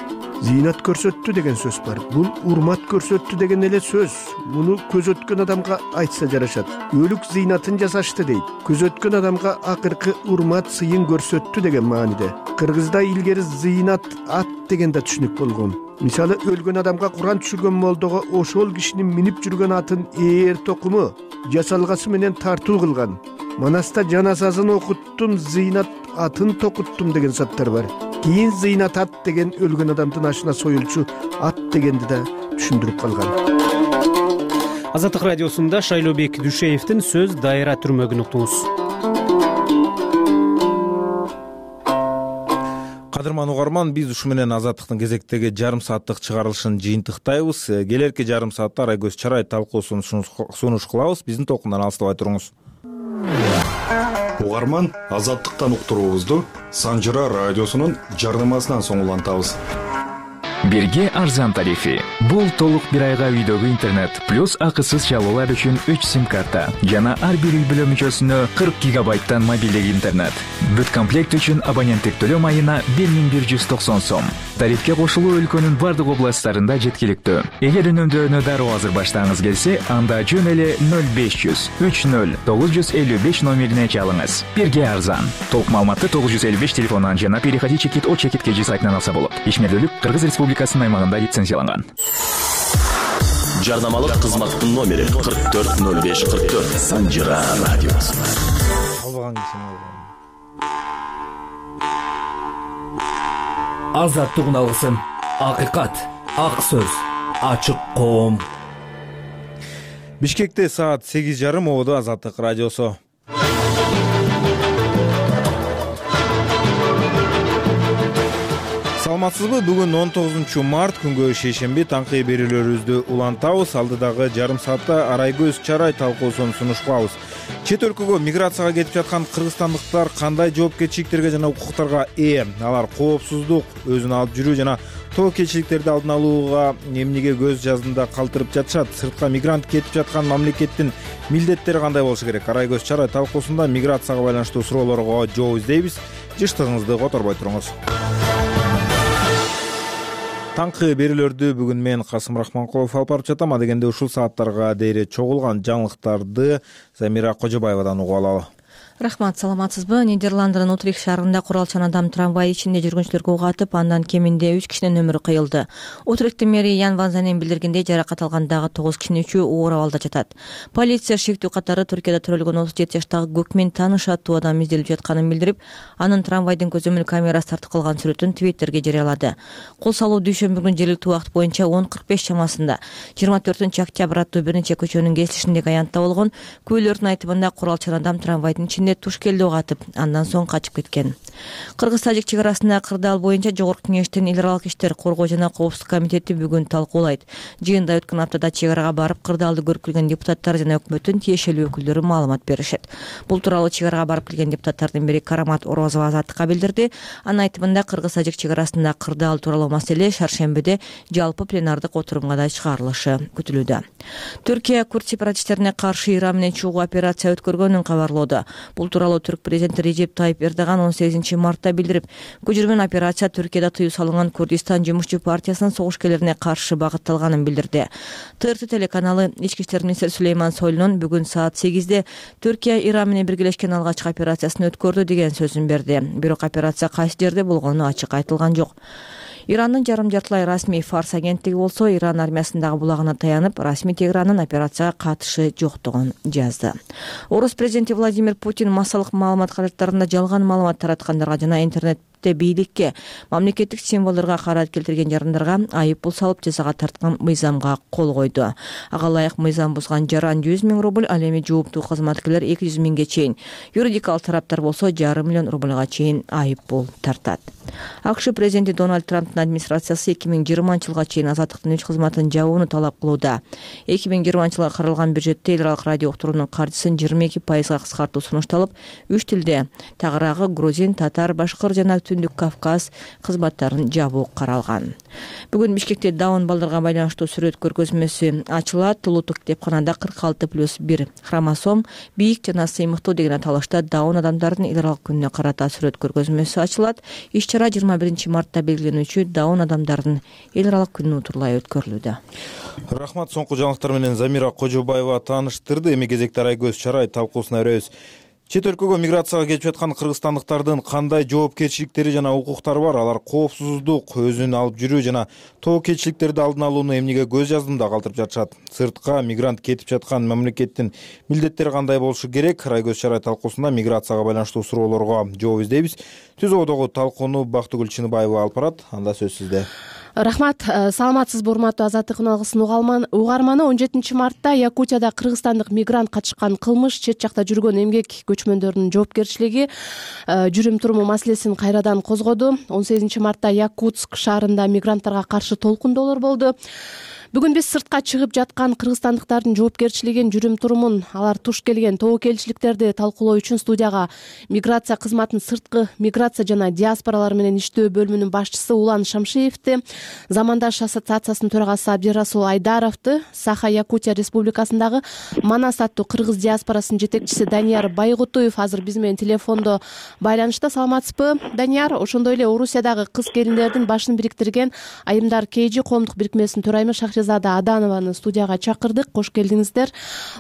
Зыйнат көрсөттү деген сөз бар. Бул урмат көрсөттү деген эле сөз. Муну көз өткөн адамга айтса жарашат. Өлүк зыйнатын жасашты дейт. Көз өткөн адамга акыркы урмат сыйын көрсөттү деген мааниде. Кыргызда илгери зыйнат ат деген да түшүнүк болгон. Мисалы өлгөн адамга Куран түшүргөн молдого ошол кишинин минип жүргөн атын ээр токуму жасалгасы менен тартуу кылган. Манаста жаназасын окуттум, зыйнат атын токуттум деген саттар бар. Кийин зыйнат ат деген өлгөн адамдын ашына союлчу ат дегенди да түшүндүрүп калган. Азаттык радиосунда Шайлообек Дүйшеевдин сөз дайра түрмөгүн уктуңуз. Кадырман угарман, биз ушу менен Азаттыктын кезектеги жарым сааттык чыгарылышын жыйынтыктайбыз. Келерки жарым саатта Арайкөз Чарай талкуусун сунуш кылабыз. Биздин толкундан алыстабай туруңуз. Угарман, Азаттыктан уктуруубузду Санжыра радиосунун жарнамасынан соң улантабыз. Бирге арзан тарифи. Бул толук бир айга үйдөгү интернет плюс акысыз чалуулар үчүн 3 сим карта жана ар бир үй бүлө мүчөсүнө 40 гигабайттан мобилдик интернет. Бүт комплект үчүн абоненттик төлөм айына 1190 сом. Тарифке кошулуу өлкөнүн бардык областтарында жеткиликтүү. Эгер үнөмдөөнү дароо азыр баштагыңыз келсе, анда жөн эле 0500 30 955 номерине чалыңыз. Бирге арзан. Толук маалыматты 955 телефонунан жана переходи чекит о чекит кежи сайтынан алса болот. Ишмердүүлүк Кыргыз Республикасынын аймагында лицензияланган. Жарнамалык кызматтын номери 440544. Санжира радиосу. Азаттык алгысын, акыйкат, ак сөз, ачык коом. Бишкекте саат 8:30 болду. Азаттык радиосу. Саламатсызбы? Бүгүн 19 март күнгө шейшемби таңкы берүүлөрүбүздү улантабыз. Алдыдагы жарым саатта Арайгөз Чарай талкуусун сунуштабыз. Чет өлкөгө миграцияга кетип жаткан кыргызстандыктар кандай жоопкерчиликтерге жана укуктарга ээ? Алар коопсуздук, өзүн алып жүрүү жана тобокелчиликтерди алдын алууга эмнеге көз жаздында калтырып жатышат? Сыртка мигрант кетип жаткан мамлекеттин милдеттери кандай болушу керек? Арайгөз Чарай талкуусунда миграцияга байланыштуу суроолорго жооп издейбиз. Жыштыгыңызды которбой туруңуз. Таңкы берүүлөрдү бүгүн мен Касым Рахманкулов алып барып жатам. Дегенде ушул сааттарга дейре чогулган жаңылыктарды Замира Кожобаевадан угуп алалы. Рахмат, саламатсызбы? Нидерландынын Утрих шаарында куралчан адам трамвай ичинде жүргүнчүлөргө ок атып, андан кеминде 3 кишинин өмүрү кыйылды. Утрихтин мэри Ян Ванзанен билдиргендей, жаракат алган дагы 9 кишинин 3-ü оор абалда жатат. Полиция шектүү катары Түркияда төрөлгөн 37 жаштагы көкмен тааныш аттуу адам изделип жатканын билдирип, анын трамвайдын көзөмөл камерасы тартып калган сүрөтүн Твиттерге жарыялады. Кол салуу дүйшөмбү күнү жергиликтүү убакыт боюнча 10:45 чамасында 24-октябрь аттуу бир нече көчөнүн кесилишиндеги аянтта болгон. Күбөлөрдүн айтымында куралчан адам трамвайдын ичинде туш келди атып, андан соң качып кеткен. Кыргыз-тажик чек арасында кырдаал боюнча Жогорку кеңештин эл аралык иштер коргоо жана коопсуздук комитети бүгүн талкуулайт. Жыйында өткөн аптада чек арага барып кырдаалды көрүп келген депутаттар жана өкмөттүн тиешелүү өкүлдөрү маалымат беришет. Бул тууралуу чек арага барып келген депутаттардын бири Карамат Орозова Азаттыкка билдирди. Анын айтымында Кыргыз-тажик чек арасында кырдаал тууралуу маселе шаршембиде жалпы пленардык отурумга да чыгарылышы күтүлүүдө. Түркия курд сепаратисттерине каршы Иран менен чогуу операция өткөргөнүн кабарлоодо. Бул тууралуу Түрк президенти Режеп Тайип Эрдоган 18 мартта билдирип, көчүрмөн операция Түркияда тыюу салынган Курдистан жумушчу партиясынын согушкерлерине каршы багытталганын билдирди. ТРТ телеканалы ички иштер министри Сулейман Сойлунун бүгүн саат 8-де Түркия Иран менен биргелешкен алгачкы операциясын өткөрдү деген сөзүн берди. Бирок операция кайсы жерде болгону ачык айтылган жок. Ирандын жарым жартылай расмий Фарс агенттиги болсо Иран армиясындагы булагына таянып, расмий Тегерандын операцияга катышы жоктугун жазды. Орус президенти Владимир Путин массалык маалымат каражаттарында жалган маалымат тараткандарга жана интернетте бийликке, мамлекеттик символдорго карат келтирген жарандарга айып пул салып жазага тарткан мыйзамга кол койду. Ага ылайык мыйзам бузган жаран 100 000 рубль, ал эми жооптуу кызматкерлер 200 000ге чейин, юридикалык тараптар болсо 500 000 рубльга чейин айып пул тартат. АКШ президенти Дональд Трамптын администрациясы 2020-жылга чейин азаттыктын үч кызматын жабууну талап кылууда. 2020-жылга каралган бюджетте эл аралык радио уктуруунун каржысын 22% кыскартуу сунушталып, 3 тилде тагыраагы грузин, татар, башкыр жана Түндүк Кавказ кызматтарын жабуу каралган. Бүгүн Бишкекте Даун балдарга байланыштуу сүрөт көргөзмөсү ачылат. Улуттук китепканада 46+1 хромосом бийик жана сыймыктуу деген аталышта Даун адамдардын эл аралык күнүнө карата сүрөт көргөзмөсү ачылат. Иш-чара 21 мартта белгиленүүчү Даун адамдардын эл аралык күнү утурлай өткөрүлүүдө. Рахмат, соңку жаңылыктар менен Замира Кожобаева тааныштырды. Эми кезекте Арайгөз Чарай талкуусуна өрөбүз. Чет өлкөгө миграцияга кетип жаткан кыргызстандыктардын кандай жоопкерчиликтери жана укуктары бар? Алар коопсуздук, өзүн алып жүрүү жана тобокелчиликтерди алдын алууну эмнеге көз жаздымда калтырып жатышат? Сыртка мигрант кетип жаткан мамлекеттин милдеттери кандай болушу керек? Арайгөз Чарай талкуусунда миграцияга байланыштуу суроолорго жооп издейбиз. Түз ободогу талкууну Бактыгүл Чыныбаева алып барат. Анда сөз сизде. Рахмат, саламатсызбы урматтуу Азаттык алгысын угарманы. 17 мартта Якутияда кыргызстандык мигрант катышкан кылмыш, чет жакта жүргөн эмгек көчмөндөрүнүн жоопкерчилиги, жүрүм туруму маселесин кайрадан козгоду. 18 мартта Якутск шаарында мигранттарга каршы толкундоолор болду. Бүгүн биз сыртка чыгып жаткан кыргызстандыктардын жоопкерчилигин, жүрүм турумун, алар туш келген тобокелчиликтерди талкуулоо үчүн студияга миграция кызматынын сырткы миграция жана диаспоралар менен иштөө бөлүмүнүн башчысы Улан Шамшиевди, Замандаш ассоциациясынын төрагасы Абдирасул Айдаровду, Саха-Якутия Республикасындагы Манас аттуу кыргыз диаспорасынын жетекчиси Данияр Байгутуев азыр биз менен телефондо байланышта. Саламатсызбы, Данияр? Ошондой эле Орусиядагы кыз келиндердин башын бириктирген Айымдар КЖ коомдук бирикмесинин төрайымы Шахризада Аданованы студияга чакырдык. Кош келдиңиздер.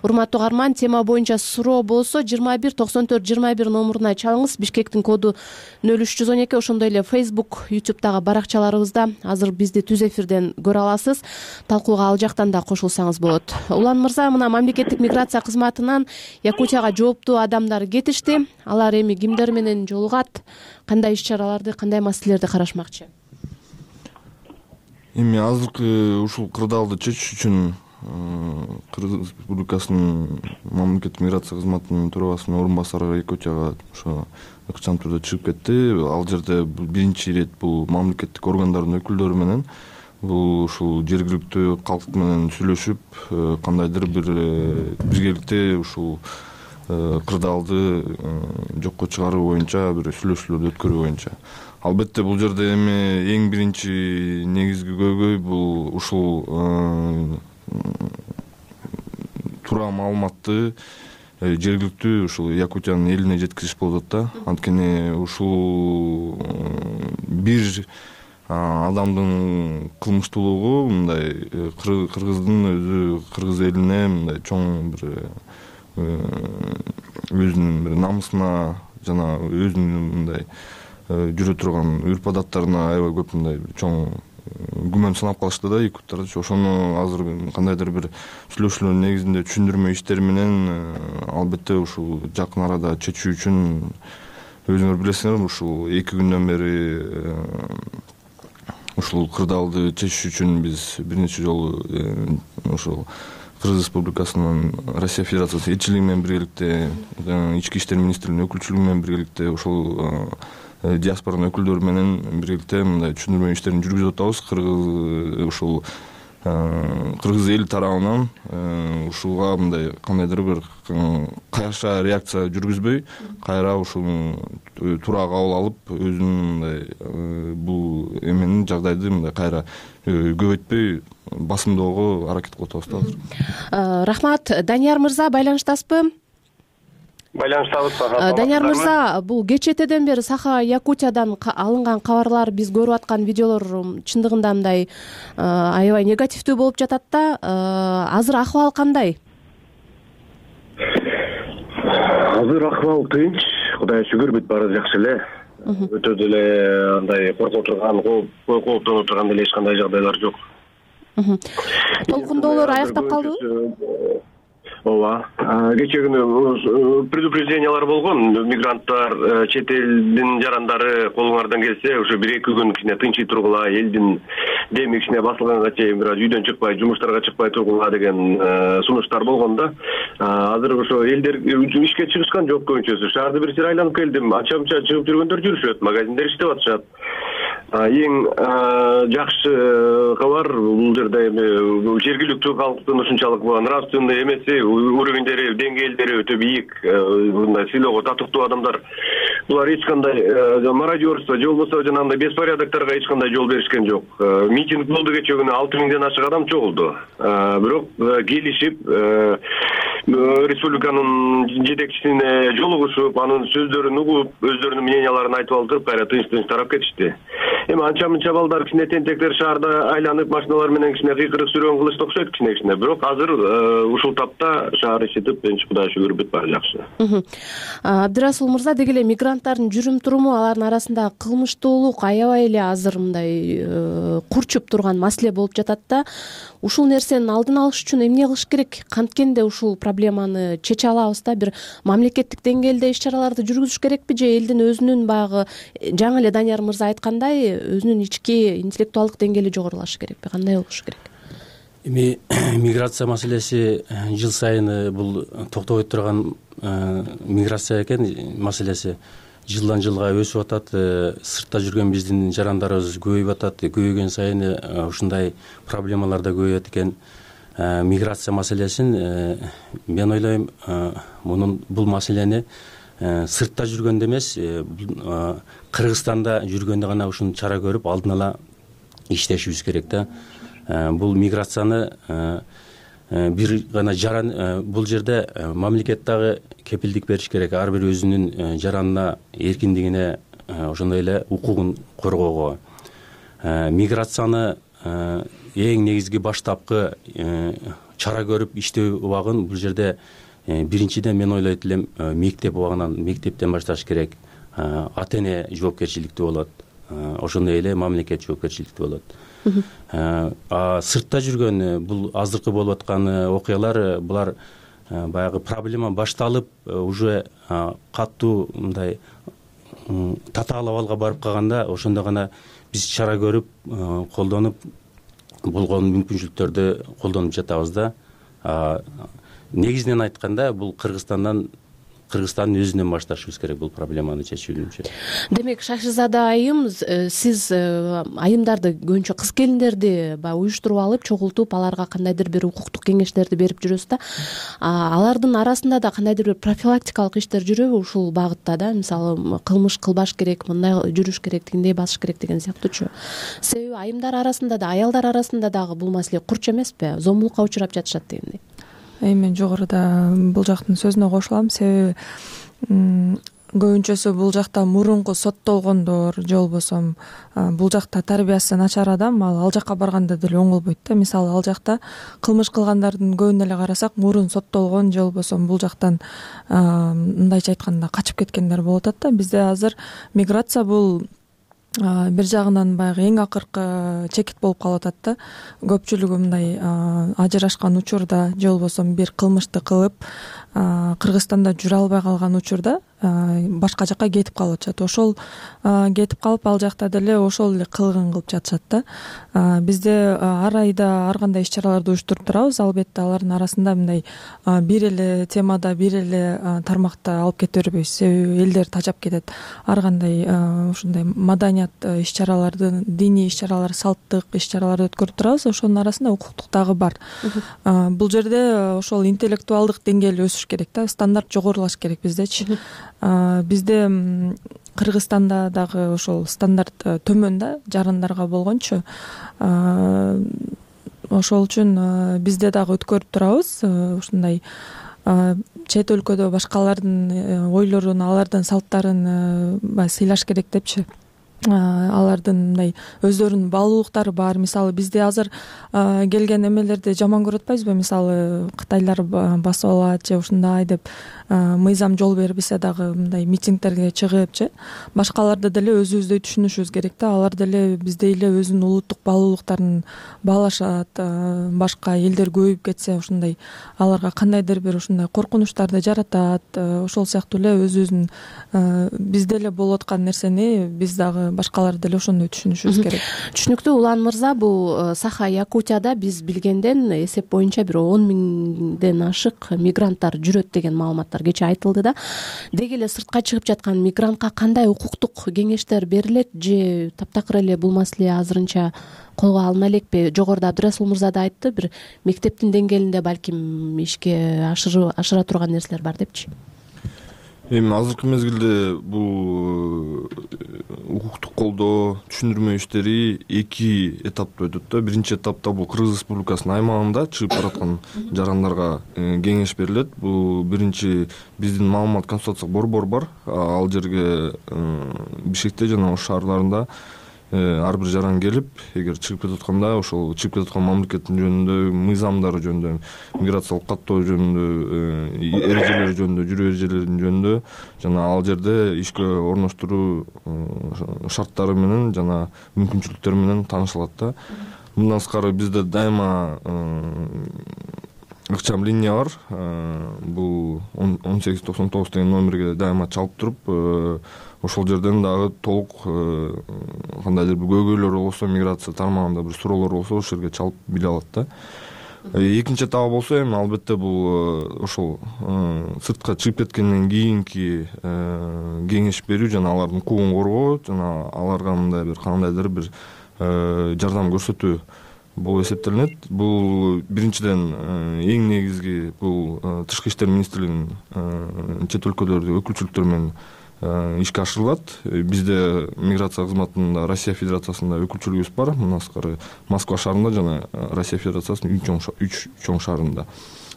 Урматтуу угарман, тема боюнча суроо болсо 219421 номуруна чалыңыз. Бишкектин коду 0312. Ошондой эле Facebook, YouTube'дагы баракчаларыбызда азыр бизди түз эфирден көрө аласыз. Талкууга ал жактан да кошулсаңыз болот. Улан мырза, мына мамлекеттик миграция кызматынан Якутияга жооптуу адамдар кетишти. Алар эми кимдер менен жолугат? Кандай иш-чараларды, кандай маселелерди карашмакчы? Эми азыркы ушул кырдаалды чечиш үчүн Кыргыз Республикасынын мамлекеттик миграция кызматынын төрагасынын орун басары Якутияга ошо ыкчам түрдө чыгып кетти. Ал жерде биринчи ирет бул мамлекеттик органдардын өкүлдөрү менен ушул жергиликтүү калк менен сүйлөшүп, кандайдыр бир биргеликте ушул кырдаалды жокко чыгаруу боюнча бир сүйлөшүүлөрдү өткөрүү боюнча. Албетте бул жерде эми эң биринчи негизги көйгөй бул ушул туура маалыматты жергиликтүү ушул Якутиянын элине жеткизиш болуп атат да. Анткени ушул бир адамдын кылмыштуулугу мындай кыргыздын өзү кыргыз элине мындай чоң бир өзүнүн бир намысына жана өзүнүн мындай жүрө турган үрп адаттарына аябай көп мындай чоң күмөн санап калышты да якуттарды. Ошону азыр кандайдыр бир сүйлөшүүлөр негизинде түшүндүрмө иштери менен албетте ушул жакын арада чечүү үчүн өзүңөр билесиңер, ушул 2 күндөн бери ушул кырдаалды чечиш үчүн биз бир нече жолу ушул Кыргыз Республикасынын Россия Федерациясы элчилиги менен биргеликте, Ички иштер министрлигинин өкүлчүлүгү менен биргеликте, ушул диаспоранын өкүлдөрү менен биргеликте мындай түшүндүрмө иштерин жүргүзүп атабыз. Ушул кыргыз эл тарабынан ушуга мындай кандайдыр бир кайша реакция жүргүзбөй, кайра ушуну туура кабыл алып, өзүнүн мындай бул эменин жагдайды мындай кайра көбөйтпөй басымдоого аракет кылып атабыз да азыр. Рахмат. Данияр мырза, байланыштасызбы? Байланыштабыз. Данияр мырза, бул кечэтеден бери Саха-Якутиядан алынган кабарлар, биз көрүп аткан видеолор чындыгында мындай аябай негативдүү болуп жатат да. Азыр акыбал кандай? Азыр акыбал тынч, Кудайга шүгүр, бүт баары жакшы эле. Өтө деле андай коркуп турган, кооптонуп турган деле эч кандай жагдайлар жок. Толкундоолор аяктап калдыбы? Ооба. Кечээ күнү предупреждениялар болгон. Мигранттар, чет элдин жарандары колуңардан келсе, ошо 1-2 күн кичине тынчый тургула, элдин деми кичине басылганга чейин бир аз үйдөн чыкпай, жумуштарга чыкпай тургула деген сунуштар болгон да. Азыр ошо элдер ишке чыгышкан жок көбүнчөсү. Шаарды бир сир айланып келдим. Ача-муча чыгып жүргөндөр жүрүшөт, магазиндер иштеп атышат. Эң жакшы кабар бул жерде эми жергиликтүү калктын ушунчалык нравственный эмеси, уровеньдери, деңгээлдери өтө бийик, мындай сыйлоого татыктуу адамдар. Булар эч кандай мародерство же болбосо жанагындай беспорядокторго эч кандай жол беришкен жок. Митинг болду кечээ күнү, 6000ден ашык адам чогулду. Бирок келишип республиканын жетекчисине жолугушуп, анын сөздөрүн угуп, өздөрүнүн мненияларын айтып алып туруп, кайра тынч тарап кетишти. Эми анча-мынча балдар кичине тентектер шаарда айланып машиналар менен кичине кыйкырык сүрөөн кылышты окшойт кичине. Бирок азыр ушул тапта шаар ичитип, Кудайга шүгүр, бүт баары жакшы. Абдирасул мырза, деги эле мигранттардын жүрүм туруму, алардын арасында кылмыштуулук аябай эле азыр мындай курчуп турган маселе болуп жатат да. Ушул нерсенин алдын алыш үчүн эмне кылыш керек? Канткенде ушул проблеманы чече алабыз да, бир мамлекеттик деңгээлде иш-чараларды жүргүзүш керекпи же элдин өзүнүн баягы жаңы эле Данияр мырза айткандай өзүнүн ички интеллектуалдык деңгээли жогорулашы керекпи? Кандай болушу керек? Эми миграция маселеси жыл сайын бул токтобой турган миграция экен маселеси. жылдан жылга өсүп атат. Сыртта жүргөн биздин жарандарыбыз көбөйүп атат. Көбөйгөн сайын ушундай проблемалар да көбөйөт экен. Миграция маселесин мен ойлойм, бул маселени сыртта жүргөндө эмес, Кыргызстанда жүргөндө гана ушуну чара көрүп алдын ала иштешибиз керек да. Бул миграцияны бир гана жаран, бул жерде мамлекет дагы кепилдик бериш керек, ар бир өзүнүн жаранына эркиндигине, ошондой эле укугун коргоого. Миграцияны эң негизги баштапкы чара көрүп иштөө убагын бул жерде биринчиден мен ойлойт элем мектеп убагынан, мектептен башташ керек. Ата эне жоопкерчиликтүү болот, ошондой эле мамлекет жоопкерчиликтүү болот. Сыртта жүргөн бул азыркы болуп аткан окуялар, булар баягы проблема башталып уже катуу мындай татаал абалга барып калганда, ошондо гана биз чара көрүп, колдонуп, болгон мүмкүнчүлүктөрдү колдонуп жатабыз да. Негизинен айтканда, бул Кыргызстандын өзүнөн башташыбыз керек бул проблеманы чечүүнүчө. Демек, Шашизада айым, сиз айымдарды, көбүнчө кыз келиндерди уюштуруп алып, чогултуп, аларга кандайдыр бир укуктук кеңештерди берип жүрөсүз да. Алардын арасында да кандайдыр бир профилактикалык иштер жүрөбү ушул багытта да? Мисалы, кылмыш кылбаш керек, мындай жүрүш керек, тигиндей басыш керек деген сыяктуучу. Себеби айымдар арасында да, аялдар арасында дагы бул маселе курч эмеспи? Зомбулукка учурап жатышат дегендей. Мен жогоруда бул жактын сөзүнө кошулам. Себеби көбүнчөсү бул жакта мурунку соттолгондор же болбосо бул жакта тарбиясы начар адам ал жакка барганда деле оңолбойт да. Мисалы, ал жакта кылмыш кылгандардын көбүн эле карасак, мурун соттолгон же болбосо бул жактан мындайча айтканда качып кеткендер болуп атат да. Бизде азыр миграция бул бир жагынан баягы эң акыркы чекит болуп калып атат да. Көпчүлүгү мындай ажырашкан учурда же болбосо бир кылмышты кылып Кыргызстанда жүрө албай калган учурда башка жакка кетип калып атышат. Ошол кетип калып, ал жакта деле ошол эле кылыгын кылып жатышат да. Бизде ар айда ар кандай иш-чараларды уюштуруп турабыз. Албетте алардын арасында мындай бир эле темада, бир эле тармакта алып кете бербейбиз. Себеби элдер тажап кетет. Ар кандай ушундай маданият иш-чараларды, диний иш-чаралар, салттык иш-чараларды өткөрүп турабыз. Ошонун арасында укуктук дагы бар. Бул жерде ошол интеллектуалдык деңгээл өсүш керек да, стандарт жогорулаш керек биздечи. Бизде Кыргызстанда дагы ошол стандарт төмөн да, жарандарга болгончу. Ошол үчүн бизде дагы өткөрүп турабыз. Ушундай чет өлкөдө башкалардын ойлорун, алардын салттарын сыйлаш керек депчи. Алардын мындай өздөрүнүн баалуулуктары бар. Мисалы, бизде азыр келген эмелерди жаман көрүп атпайбызбы? Мисалы, кытайлар басып алат же ушундай деп мыйзам жол бербесе дагы мындай митингдерге чыгыпчы. Башкаларды деле өзүбүздөй түшүнүшүбүз керек да. Алар деле биздей эле өзүнүн улуттук баалуулуктарын баалашат. Башка элдер көбөйүп кетсе, ушундай аларга кандайдыр бир ушундай коркунучтарды жаратат. Ошол сыяктуу эле өзүбүздүн бизде эле болуп аткан нерсени биз дагы башкалар деле ошондой түшүнүшүбүз керек. Түшүнүктүү. Улан мырза, бул Саха Якутияда биз билгенден эсеп боюнча бир 10 миңден ашык мигранттар жүрөт деген маалыматтар кече айтылды да. Деги эле сыртка чыгып жаткан мигрантка кандай укуктук кеңештер берилет же таптакыр эле бул маселе азырынча колго алына элекпи? Жогоруда Абдырасул мырза да айтты, бир мектептин деңгээлинде балким ишке ашыра турган нерселер бар депчи. Эми азыркы мезгилде бул укуктук колдоо, түшүндүрмө иштери эки этапта өтөт да. Биринчи этапта бул Кыргыз Республикасынын аймагында чыгып бараткан жарандарга кеңеш берилет. Бул биринчи биздин маалымат консультациялык борбор бар. Ал жерге Бишкекте жана ош шаарларында ар бир жаран келип, эгер чыгып кетип атканда, ошол чыгып кетип аткан мамлекеттин жөнүндө, мыйзамдары жөнүндө, миграциялык каттоо жөнүндө, эрежелери жөнүндө, жүрүү эрежелеринин жөнүндө жана ал жерде ишке орноштуруу шарттары менен жана мүмкүнчүлүктөрү менен таанышылат да. Мындан сырткары бизде дайыма ыкчам линия бар. Бул 1899 деген номерге дайыма чалып туруп, ошол жерден дагы толук кандайдыр бир көйгөйлөр болсо, миграция тармагында бир суроолор болсо, ошол жерге чалып биле алат да. Экинчи этабы болсо эми албетте бул ошол сыртка чыгып кеткенден кийинки кеңеш берүү жана алардын укугун коргоо жана аларга мындай бир кандайдыр бир жардам көрсөтүү болуп эсептелинет. Бул биринчиден эң негизги бул Тышкы иштер министрлигинин чет өлкөлөрдө өкүлчүлүктөр менен ишке ашырылат. Бизде миграция кызматында Россия Федерациясында өкүлчүлүгүбүз бар. Мындан сырткары Москва шаарында жана Россия Федерациясынын үч чоң шаарында,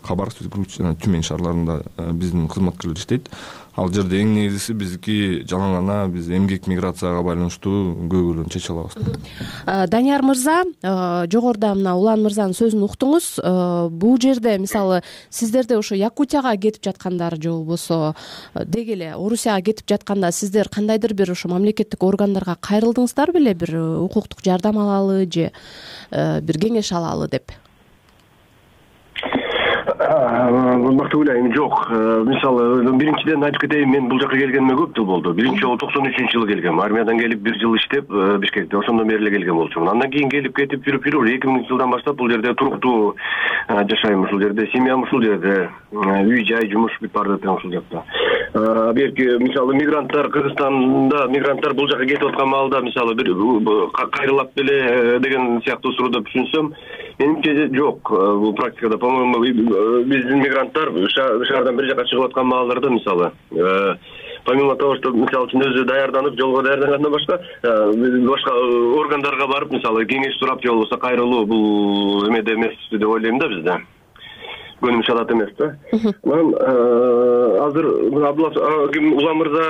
Хабаровск, жана Тюмень шаарларында биздин кызматкерлер иштейт. Ал жерде эң негизгиси биздики жалаң гана биз эмгек миграцияга байланыштуу көйгөйлөрдү чече алабыз. Данияр мырза, жогоруда мына Улан мырзанын сөзүн уктуңуз. Бул жерде мисалы сиздерде ошо Якутияга кетип жаткандар же болбосо деги эле Орусияга кетип жатканда сиздер кандайдыр бир ошо мамлекеттик органдарга кайрылдыңыздар беле, бир укуктук жардам алалы же бир кеңеш алалы деп? Бактыгүл айым жок. Мисалы биринчиден айтып кетейин, мен бул жака келгениме көп жыл болду. Биринчи жолу 93-жылы келгем. Армиядан келип 1 жыл иштеп Бишкекте, ошондон бери эле келген болчумун. Андан кийин келип кетип жүрүп 2000-жылдан баштап бул жерде туруктуу жашайм, ушул жерде семьям ушул жерде, үй жай жумуш бүт баардыгы тең ушул жакта. Берки мисалы мигранттар Кыргызстанда мигранттар бул жака кетип аткан маалда мисалы бир кайрылат беле деген сыяктуу сурооду түшүнсөм, менимче жок. Бул практикада, по-моему, биздин мигранттар шаардан бир жака чыгып аткан маалдарда мисалы помимо того, что мисалы үчүн өзү даярданып, жолго даярдангандан башка органдарга барып, мисалы кеңеш сурап же болбосо кайрылуу бул эмеде эмес деп ойлойм да бизде. Көнүм шалат эмес да. Мен азыр Улан мырза,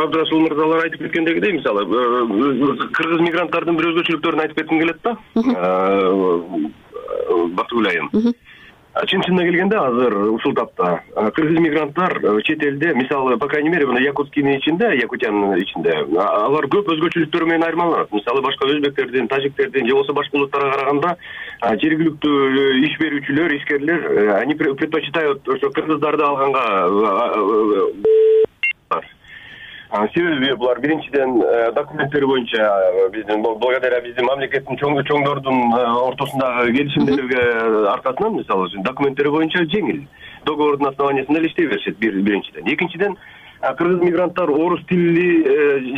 Абдрасул мырзалар айтып кеткендегидей, мисалы кыргыз мигранттардын бир өзгөчөлүктөрүн айтып кетким келет да. Бактыгүл айым. Чын-чынына келгенде азыр ушул тапта кыргыз мигранттар чет элде, мисалы, по крайней мере, Якутскийдин ичинде, Якутиянын ичинде, алар көп өзгөчөлүктөр менен айырмаланат. Мисалы, башка өзбектердин, тажиктердин же болбосо башка улуттарга караганда жергиликтүү иш берүүчүлөр, ишкерлер, они предпочитают ошо кыргыздарды алганга. Себеби булар биринчиден документтери боюнча биздин благодаря биздин мамлекеттин чоңдордун ортосундагы келишимдерге аркасынан, мисалы үчүн документтери боюнча жеңил, договордун основаниясында эле иштей беришет биринчиден. Экинчиден, кыргыз мигранттар орус тили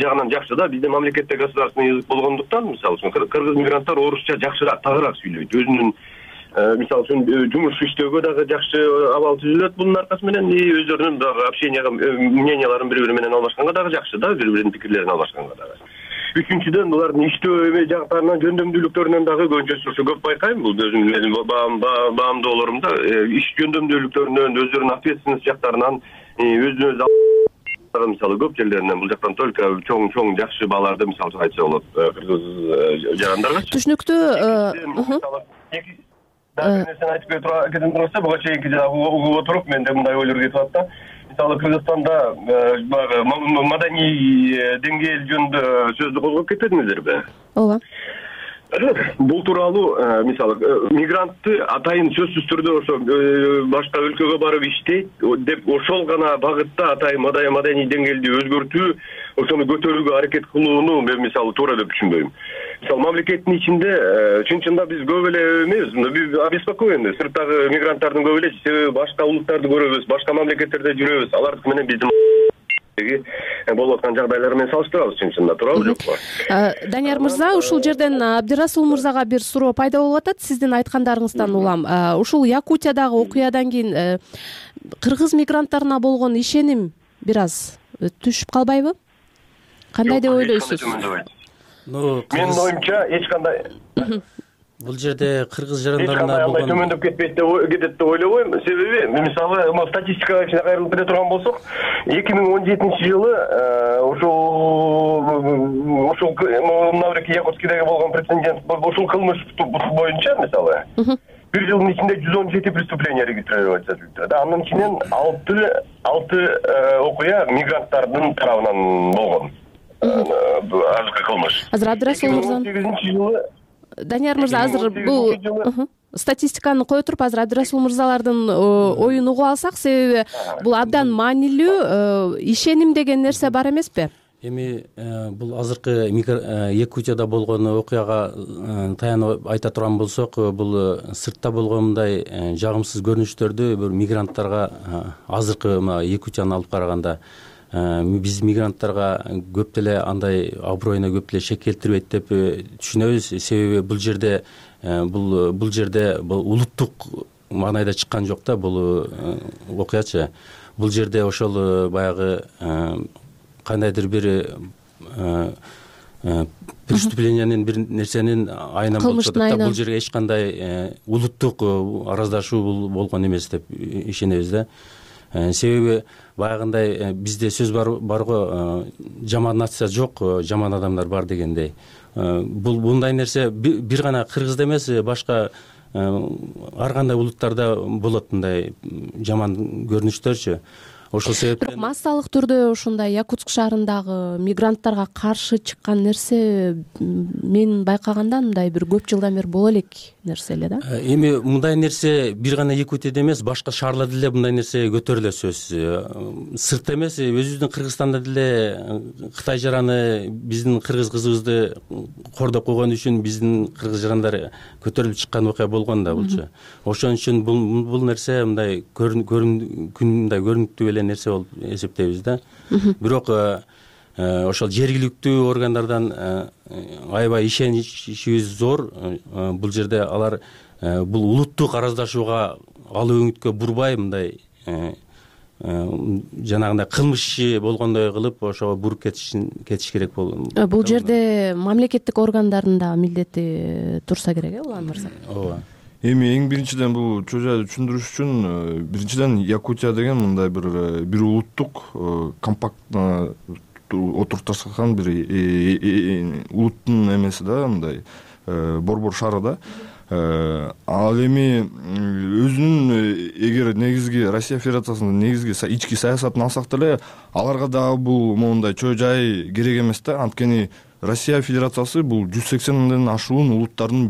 жагынан жакшы да, биздин мамлекетте государственный язык болгондуктан, мисалы үчүн кыргыз мигранттар орусча жакшыраак, тагыраак сүйлөйт. Өзүнүн мисалы үчүн жумуш иштөөгө дагы жакшы абал түзүлөт бунун аркасы менен, өздөрүнүн дагы общенияга, мненияларын бири-бири менен алмашканга дагы жакшы да, бири-биринин пикирлерин алмашканга дагы. Үчүнчүдөн, булардын иштөө жактарынан, жөндөмдүүлүктөрүнөн дагы көбүнчөсү көп байкайм. Бул өзүмдүн баамдоолорумда иш жөндөмдүүлүктөрүнөн, өздөрүнүн ответственность жактарынан, өзүнө өзү мисалы көп жерлеринен бул жактан только чоң жакшы бааларды мисалы айтса болот кыргыз жарандарга. Түшүнүктүү. Да, нерсени айтып кетем турса, буга чейинки угуп отуруп, менде мындай ойлор кетип атат да. Мисалы Кыргызстанда маданий деңгээл жөнүндө сөздү козгоп кетпедиңиздерби? Ооба. Бул тууралуу мисалы мигрантты атайын сөзсүз түрдө ошо башка өлкөгө барып иштейт деп ошол гана багытта атайын маданий деңгээлди өзгөртүү, ошону көтөрүүгө аракет кылууну мен мисалы туура деп түшүнбөйм. Мисалы мамлекеттин ичинде чын-чында биз көп эле эмес, обеспокоены сырттагы мигранттардын көп эле, себеби башка улуттарды көрөбүз, башка мамлекеттерде жүрөбүз, алардык менен биздин болуп аткан жагдайлар менен салыштырабыз, чын-чында туурабы жокпу? Данияр мырза, ушул жерден Абдирасул мырзага бир суроо пайда болуп атат сиздин айткандарыңыздан улам. Ушул Якутиядагы окуядан кийин кыргыз мигранттарына болгон ишеним бир аз түшүп калбайбы? Кандай деп ойлойсуз? Менин оюмча эч кандай бул жерде кыргыз жарандарына болгон төмөндөп кетет деп ойлобойм. Себеби мисалы статистикага ичине кайрылып кете турган болсок, 2017-жылы ошол мынабеки Якутскийдеги болгон прецедент ушул кылмыш боюнча мисалы 1 жылдын ичинде 117 преступление регистрироваться этилди. Анын ичинен 6 окуя мигранттардын тарабынан болгон. Азыркы кылмыш. Азыр Абдрасул мырза 2018-жылы Данияр мырза, азыр бул статистиканы кое туруп, азыр Абдрасул мырзалардын оюн угуп алсак, себеби бул абдан маанилүү ишеним деген нерсе бар эмеспи? Эми бул азыркы Якутияда болгон окуяга таянып айта турган болсок, бул сыртта болгон мындай жагымсыз көрүнүштөрдү бир мигранттарга азыркы мына Якутияны алып караганда биз мигранттарга көп деле андай аброюна көп деле шек келтирбейт деп түшүнөбүз. Себеби бул жерде бул улуттук маанайда чыккан жок да бул окуячы. Бул жерде ошол баягы кандайдыр бир преступлениянын бир нерсенин айынан болуп жатат да. Бул жерге эч кандай улуттук араздашуу болгон эмес деп ишенебиз да. Себеби баягындай бизде сөз бар го, жаман нация жок, жаман адамдар бар дегендей. Мындай нерсе бир гана кыргызда эмес, башка ар кандай улуттарда болот мындай жаман көрүнүштөрчү. Ошол себептен бирок массалык түрдө ушундай Якутск шаарындагы мигранттарга каршы чыккан нерсе мен байкаганда мындай бир көп жылдан бери боло элек нерсе эле да. Эми мындай нерсе бир гана Якутияда эмес, башка шаарларда деле мындай нерсе көтөрүлө сөз. Сыртта эмес, өзүбүздүн Кыргызстанда деле Кытай жараны биздин кыргыз кызыбызды кордоп койгон үчүн биздин кыргыз жарандар көтөрүлүп чыккан окуя болгон да булчу. Ошон үчүн бул нерсе мындай көрүнүктүү эле нерсе болуп эсептейбиз да. Бирок ошол жергиликтүү органдардан аябай ишеничибиз зор. Бул жерде алар бул улуттук араздашууга алуу өңүткө бурбай мындай жанагындай кылмыш иши болгондой кылып ошого буруп кетиш керек болот. Бул жерде мамлекеттик органдардын да милдети турса керек, Улан мырза. Ооба. Эми эң биринчиден бул чоо жайды түшүндүрүш үчүн биринчиден Якутия деген мындай бир улуттук компактно отурупташкан бир улуттун эмеси да, мындай борбор шаары да. Ал эми өзүнүн эгер негизги Россия Федерациясынын негизги ички саясатын алсак деле аларга дагы бул моундай чоо жай керек эмес да. Анткени Россия Федерациясы бул 180ден ашуун улуттардын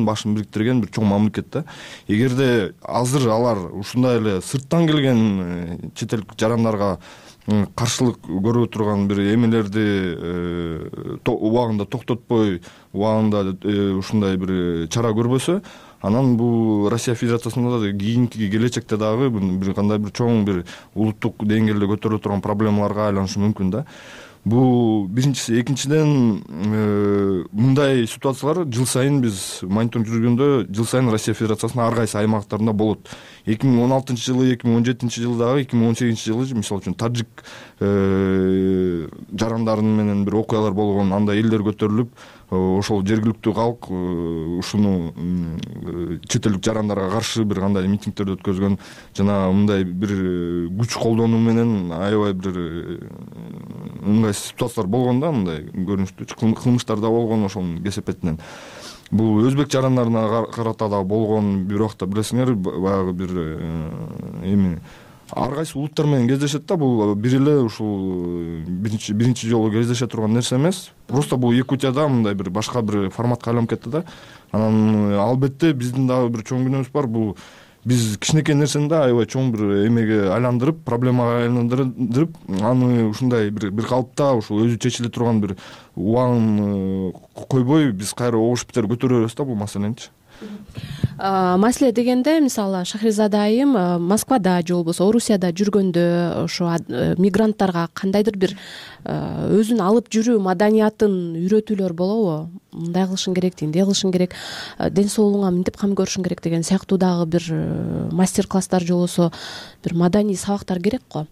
башын бириктирген бир чоң мамлекет да. Эгерде азыр алар ушундай эле сырттан келген чет элдик жарандарга каршылык көрүп турган бир эмелерди убагында токтотпой, убагында ушундай бир чара көрбөсө, анан бул Россия Федерациясында да кийинки келечекте дагы бир кандай бир чоң бир улуттук деңгээлде көтөрүлө турган проблемаларга айланышы мүмкүн да. Бул биринчиси. Экинчиден, мындай ситуациялар жыл сайын биз мониторинг жүргөндө жыл сайын Россия Федерациясынын ар кайсы аймактарында болот. 2016-жылы, 2017-жылдагы, 2018-жылы мисалы үчүн тажик жарандарын менен бир окуялар болгон, анда элдер көтөрүлүп, ошол жергиликтүү калк ушуну чет элдик жарандарга каршы бир кандай митингдерди өткөзгөн, жана мындай бир күч колдонуу менен аябай бир ыңгайсыз ситуациялар болгон да, мындай көрүнүштүү кылмыштар да болгон ошонун кесепетинен. Бул өзбек жарандарына карата да болгон, бир убакта билесиңер, баягы бир эми ар кайсы улуттар менен кездешет да. Бул бир эле ушул биринчи жолу кездеше турган нерсе эмес. Просто бул Якутияда мындай бир башка бир форматка айланып кетти да. Анан албетте биздин дагы бир чоң күнөөбүз бар. Бул биз кичинекей нерсени да аябай чоң бир эмеге айландырып, проблемага айландырып, аны ушундай бир калыпта ушул өзү чечиле турган бир убагын койбой биз кайра огуш битер көтөрө беребиз да бул маселеничи. Маселе дегенде, мисалы Шахризада айым Москвада же болбосо Орусияда жүргөндө ошо мигранттарга кандайдыр бир өзүн алып жүрүү маданиятын үйрөтүүлөр болобу? Мындай кылышың керек, тиндей кылышың керек, ден соолугуңа мынтип кам көрүшүң керек деген сыяктуу дагы бир мастер-класстар же болбосо бир маданий сабактар керек го.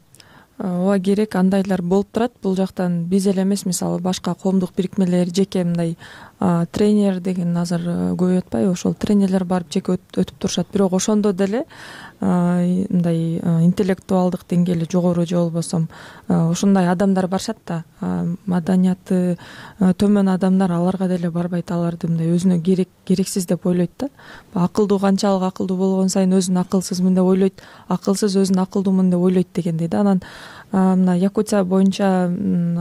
Ооба, керек, андайлар болуп турат. Бул жактан биз эле эмес, мисалы башка коомдук бирикмелер, жеке мындай тренер деген азыр көбөйүп атпайбы, ошол тренерлер барып жеке өтүп турушат. Бирок ошондо деле мындай интеллектуалдык деңгээли жогору же болбосо ушундай адамдар барышат да, маданияты төмөн адамдар аларга деле барбайт, аларды мындай өзүнө керексиз деп ойлойт да. Акылдуу канчалык акылдуу болгон сайын өзүн акылсызмын деп ойлойт, акылсыз өзүн акылдуумун деп ойлойт дегендей да. Анан мына Якутия боюнча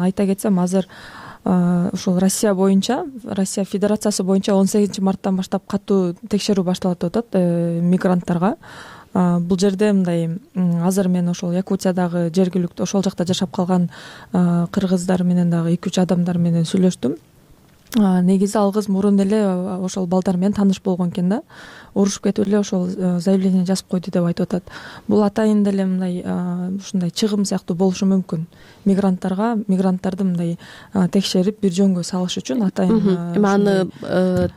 айта кетсем, азыр ушул Россия боюнча, Россия Федерациясы боюнча 18 марттан баштап катуу текшерүү башталат деп атат мигранттарга. бул жерде мындай азыр мен ошол Якутиядагы жергиликтүү ошол жакта жашап калган кыргыздар менен дагы 2-3 адамдар менен сүйлөштүм. Негизи ал кыз мурун эле ошол балдар менен тааныш болгон экен да, урушуп кетип эле ошол заявление жазып койду деп айтып атат. Бул атайын деле мындай ушундай чыгым сыяктуу болушу мүмкүн. Мигранттарды мындай текшерип бир жөнгө салыш үчүн атайын. Эми аны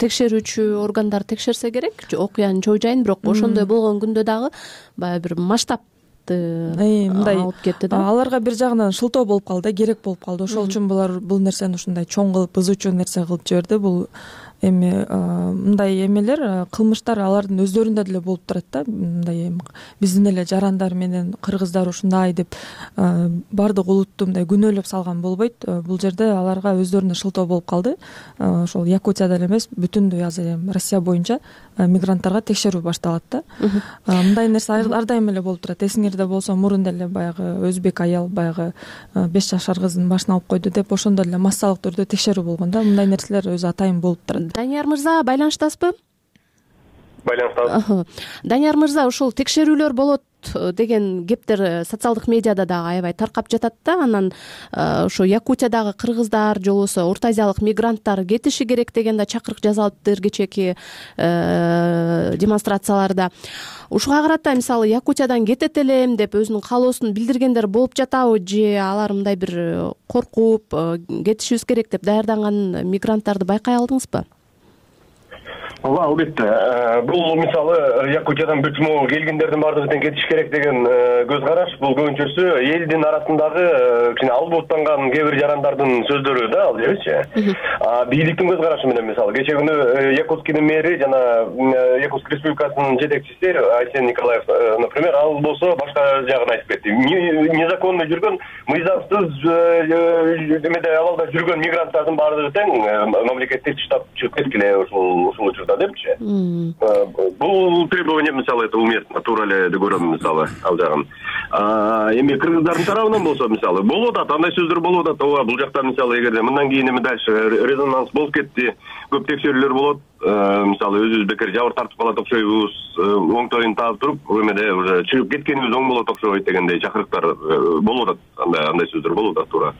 текшерүүчү органдар текшерсе керек, окуянын чоо жайын, бирок ошондой болгон күндө дагы баягы бир масштаб мындай алып кетти да. Аларга бир жагынан шылтоо болуп калды, керек болуп калды. Ошол үчүн булар бул нерсени ушундай чоң кылып, бузуучу нерсе кылып жиберди. Бул эми мындай эмелер, кылмыштар алардын өздөрүндө деле болуп турат да. Мындай биздин эле жарандар менен кыргыздар ушундай деп баардык улутту мындай күнөөлөп салган болбойт. Бул жерде аларга өздөрүнө шылтоо болуп калды. Ошол Якутияда эле эмес, бүтүндөй азыр эми Россия боюнча мигранттарга текшерүү башталат да. Мындай нерсе ар дайым эле болуп турат. Эсиңерде болсо мурун деле баягы өзбек аял баягы 5 жашар кыздын башын алып койду деп ошондо эле массалык түрдө текшерүү болгон да. Мындай нерселер өзү атайын болуп турат. Данияр мырза, байланыштасызбы? Байланыштабыз. Данияр мырза, ушул текшерүүлөр болот деген кептер социалдык медиада дагы аябай таркап жатат да. Анан ошо Якутиядагы кыргыздар же болбосо Орто Азиялык мигранттар кетиши керек деген да чакырык жасалыптыр кечээки демонстрацияларда. Ушуга карата мисалы Якутиядан кетет элем деп өзүнүн каалоосун билдиргендер болуп жатабы, же алар мындай бир коркуп кетишибиз керек деп даярданган мигранттарды байкай алдыңызбы? Ооба, албетте. Бул мисалы Якутиядан бүтмө келгендердин баардыгы тең кетиш керек деген көз караш. Бул көбүнчөсү элдин арасындагы кичине албооттанган кээ бир жарандардын сөздөрү да, ал жерчи. Бийликтин көз карашы менен мисалы кечээ күнү Якутскийдин мэри жана Якутск Республикасынын жетекчиси Айсен Николаев, например, ал болсо башка жагын айтып кетти. Незаконно жүргөн, мыйзамсыз эмеде абалда жүргөн мигранттардын баардыгы тең мамлекетти таштап чыгып кеткиле ушул учурда депчи. Бул требование мисалы это уместно, туура эле деп көрөм мисалы ал жагын. Эми кыргыздардын тарабынан болсо мисалы болуп атат, андай сөздөр болуп атат. Ооба, бул жакта мисалы эгерде мындан кийин эми дальше резонанс болуп кетти, көп текшерүүлөр болот. Мисалы өзүбүз бекер жабыр тартып калат окшойбуз, оңтойун таап туруп, эмеде уже чыгып кеткенибиз оң болот окшойт дегендей чакырыктар болуп атат. Андай сөздөр болуп атат туура.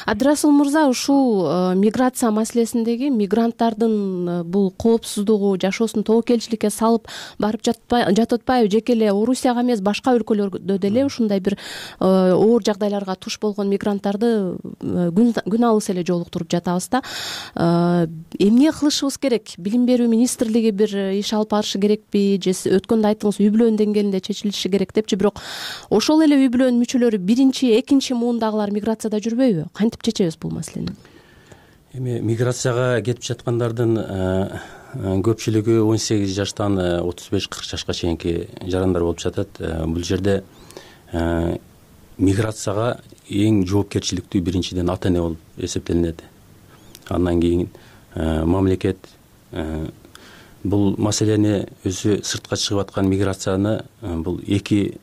Абдрасул мырза, ушул миграция маселесиндеги мигранттардын бул коопсуздугу, жашоосун тобокелчиликке салып барып жатып атпайбы? Жеке эле Орусияга эмес, башка өлкөлөрдө деле ушундай бир оор жагдайларга туш болгон мигранттарды күн алыс эле жолуктуруп жатабыз да. Эмне кылышыбыз керек? Билим берүү министрлиги бир иш алып барышы керекпи, же өткөндө айттыңыз үй бүлөнүн деңгээлинде чечилиши керек депчи, бирок ошол эле үй бүлөнүн мүчөлөрү биринчи, экинчи муундагылар миграцияда жүрбөйбү? Кантип чечебиз бул маселени? Эми миграцияга кетип жаткандардын көпчүлүгү 18 жаштан 35-40 жашка чейинки жарандар болуп жатат. Бул жерде миграцияга эң жоопкерчиликтүү биринчиден ата эне болуп эсептелинет. Андан кийин мамлекет бул маселени өзү сыртка чыгып аткан миграцияны бул экиге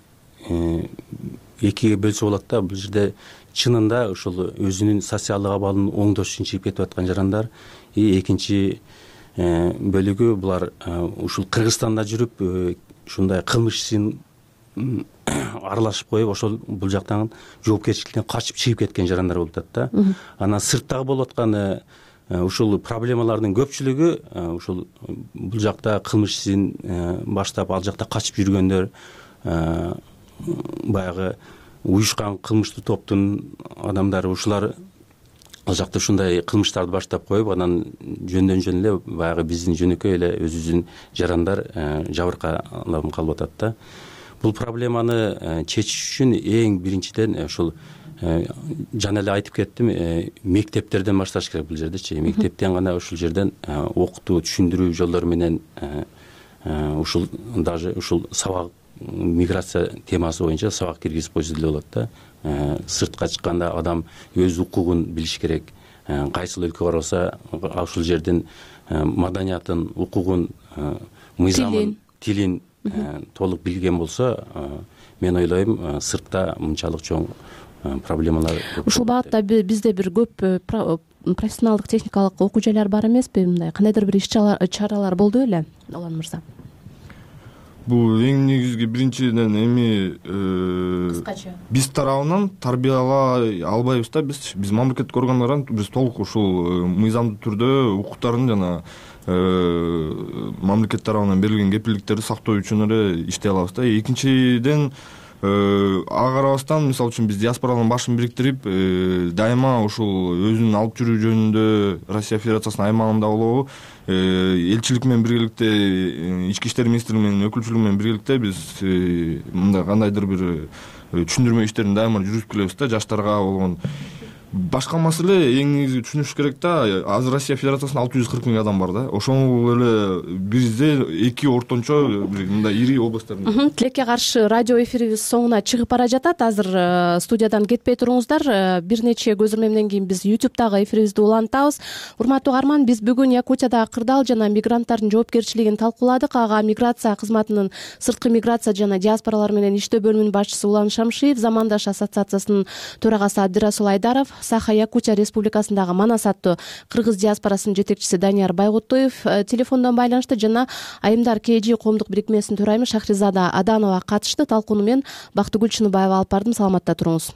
бөлсө болот да. Бул жерде чынында ушул өзүнүн социалдык абалын оңдош үчүн чыгып кетип аткан жарандар, экинчи бөлүгү булар ушул Кыргызстанда жүрүп ушундай кылмыш ишин аралашып коюп, ошол бул жактан жоопкерчиликтен качып чыгып кеткен жарандар болуп атат да. Анан сырттагы болуп аткан ушул проблемалардын көпчүлүгү ушул бул жакта кылмыш ишин баштап ал жакта качып жүргөндөр, баягы уюшкан кылмыштуу топтун адамдары, ушулар ал жакта ушундай кылмыштарды баштап коюп, анан жөндөн жөн эле баягы биздин жөнөкөй эле өзүбүздүн жарандар жабыркаланып калып атат да. Бул проблеманы чечиш үчүн эң биринчиден ушул жана эле айтып кеттим, мектептерден башташ керек бул жердечи. Мектептен гана ушул жерден окутуу, түшүндүрүү жолдору менен ушул даже ушул сабак, миграция темасы боюнча сабак киргизип койсо деле болот да. Сыртка чыкканда адам өз укугун билиш керек. Кайсыл өлкөгө барса ушул жердин маданиятын, укугун, мыйзамын, тилин толук билген болсо, мен ойлойм, сыртта мынчалык чоң проблемалар. Ушул багытта бизде бир көп профессионалдык техникалык окуу жайлар бар эмеспи? Мындай кандайдыр бир иш чаралар болду беле, Алан мырза? Бул эң негизги биринчиден эми кыскача биз тарабынан тарбиялай албайбыз да. Биз мамлекеттик органдардан биз толук ушул мыйзамдуу түрдө укуктарын жана мамлекет тарабынан берилген кепилдиктерди сактоо үчүн эле иштей алабыз да. Экинчиден ага карабастан мисалы үчүн биз диаспоралардын башын бириктирип дайыма ушул өзүн алып жүрүү жөнүндө Россия Федерациясынын аймагында болобу элчилик менен биргеликте ички иштер министрлиги менен өкүлчүлүгү менен биргеликте биз мындай кандайдыр бир түшүндүрмө иштерин дайыма жүргүзүп келебиз да. Жаштарга болгон башка маселе эң негизи түшүнүш керек да. Азыр Россия Федерациясында 640 миң адам бар да. Ошол эле бизде эки ортончо мындай ири областтарда. Тилекке каршы радио эфирибиз соңуна чыгып бара жатат. Азыр студиядан кетпей туруңуздар. Бир нече көзөрмөмдөн кийин биз YouTube'дагы эфирибизди улантабыз. Урматтуу угарман, биз бүгүн Якутиядагы кырдаал жана мигранттардын жоопкерчилигин талкууладык. Ага миграция кызматынын сырткы миграция жана диаспоралар менен иштөө бөлүмүнүн башчысы Улан Шамшиев, Замандаш ассоциациясынын төрагасы Абдирасул Айдаров, Саха Якутия Республикасындагы Манас аттуу кыргыз диаспорасынын жетекчиси Данияр Байгутуев телефондон байланышты жана Айымдар КЖ коомдук бирикмесинин төрайымы Шахризада Аданова катышты. Талкууну мен Бактыгүл Чыныбаева алып бардым. Саламатта туруңуз.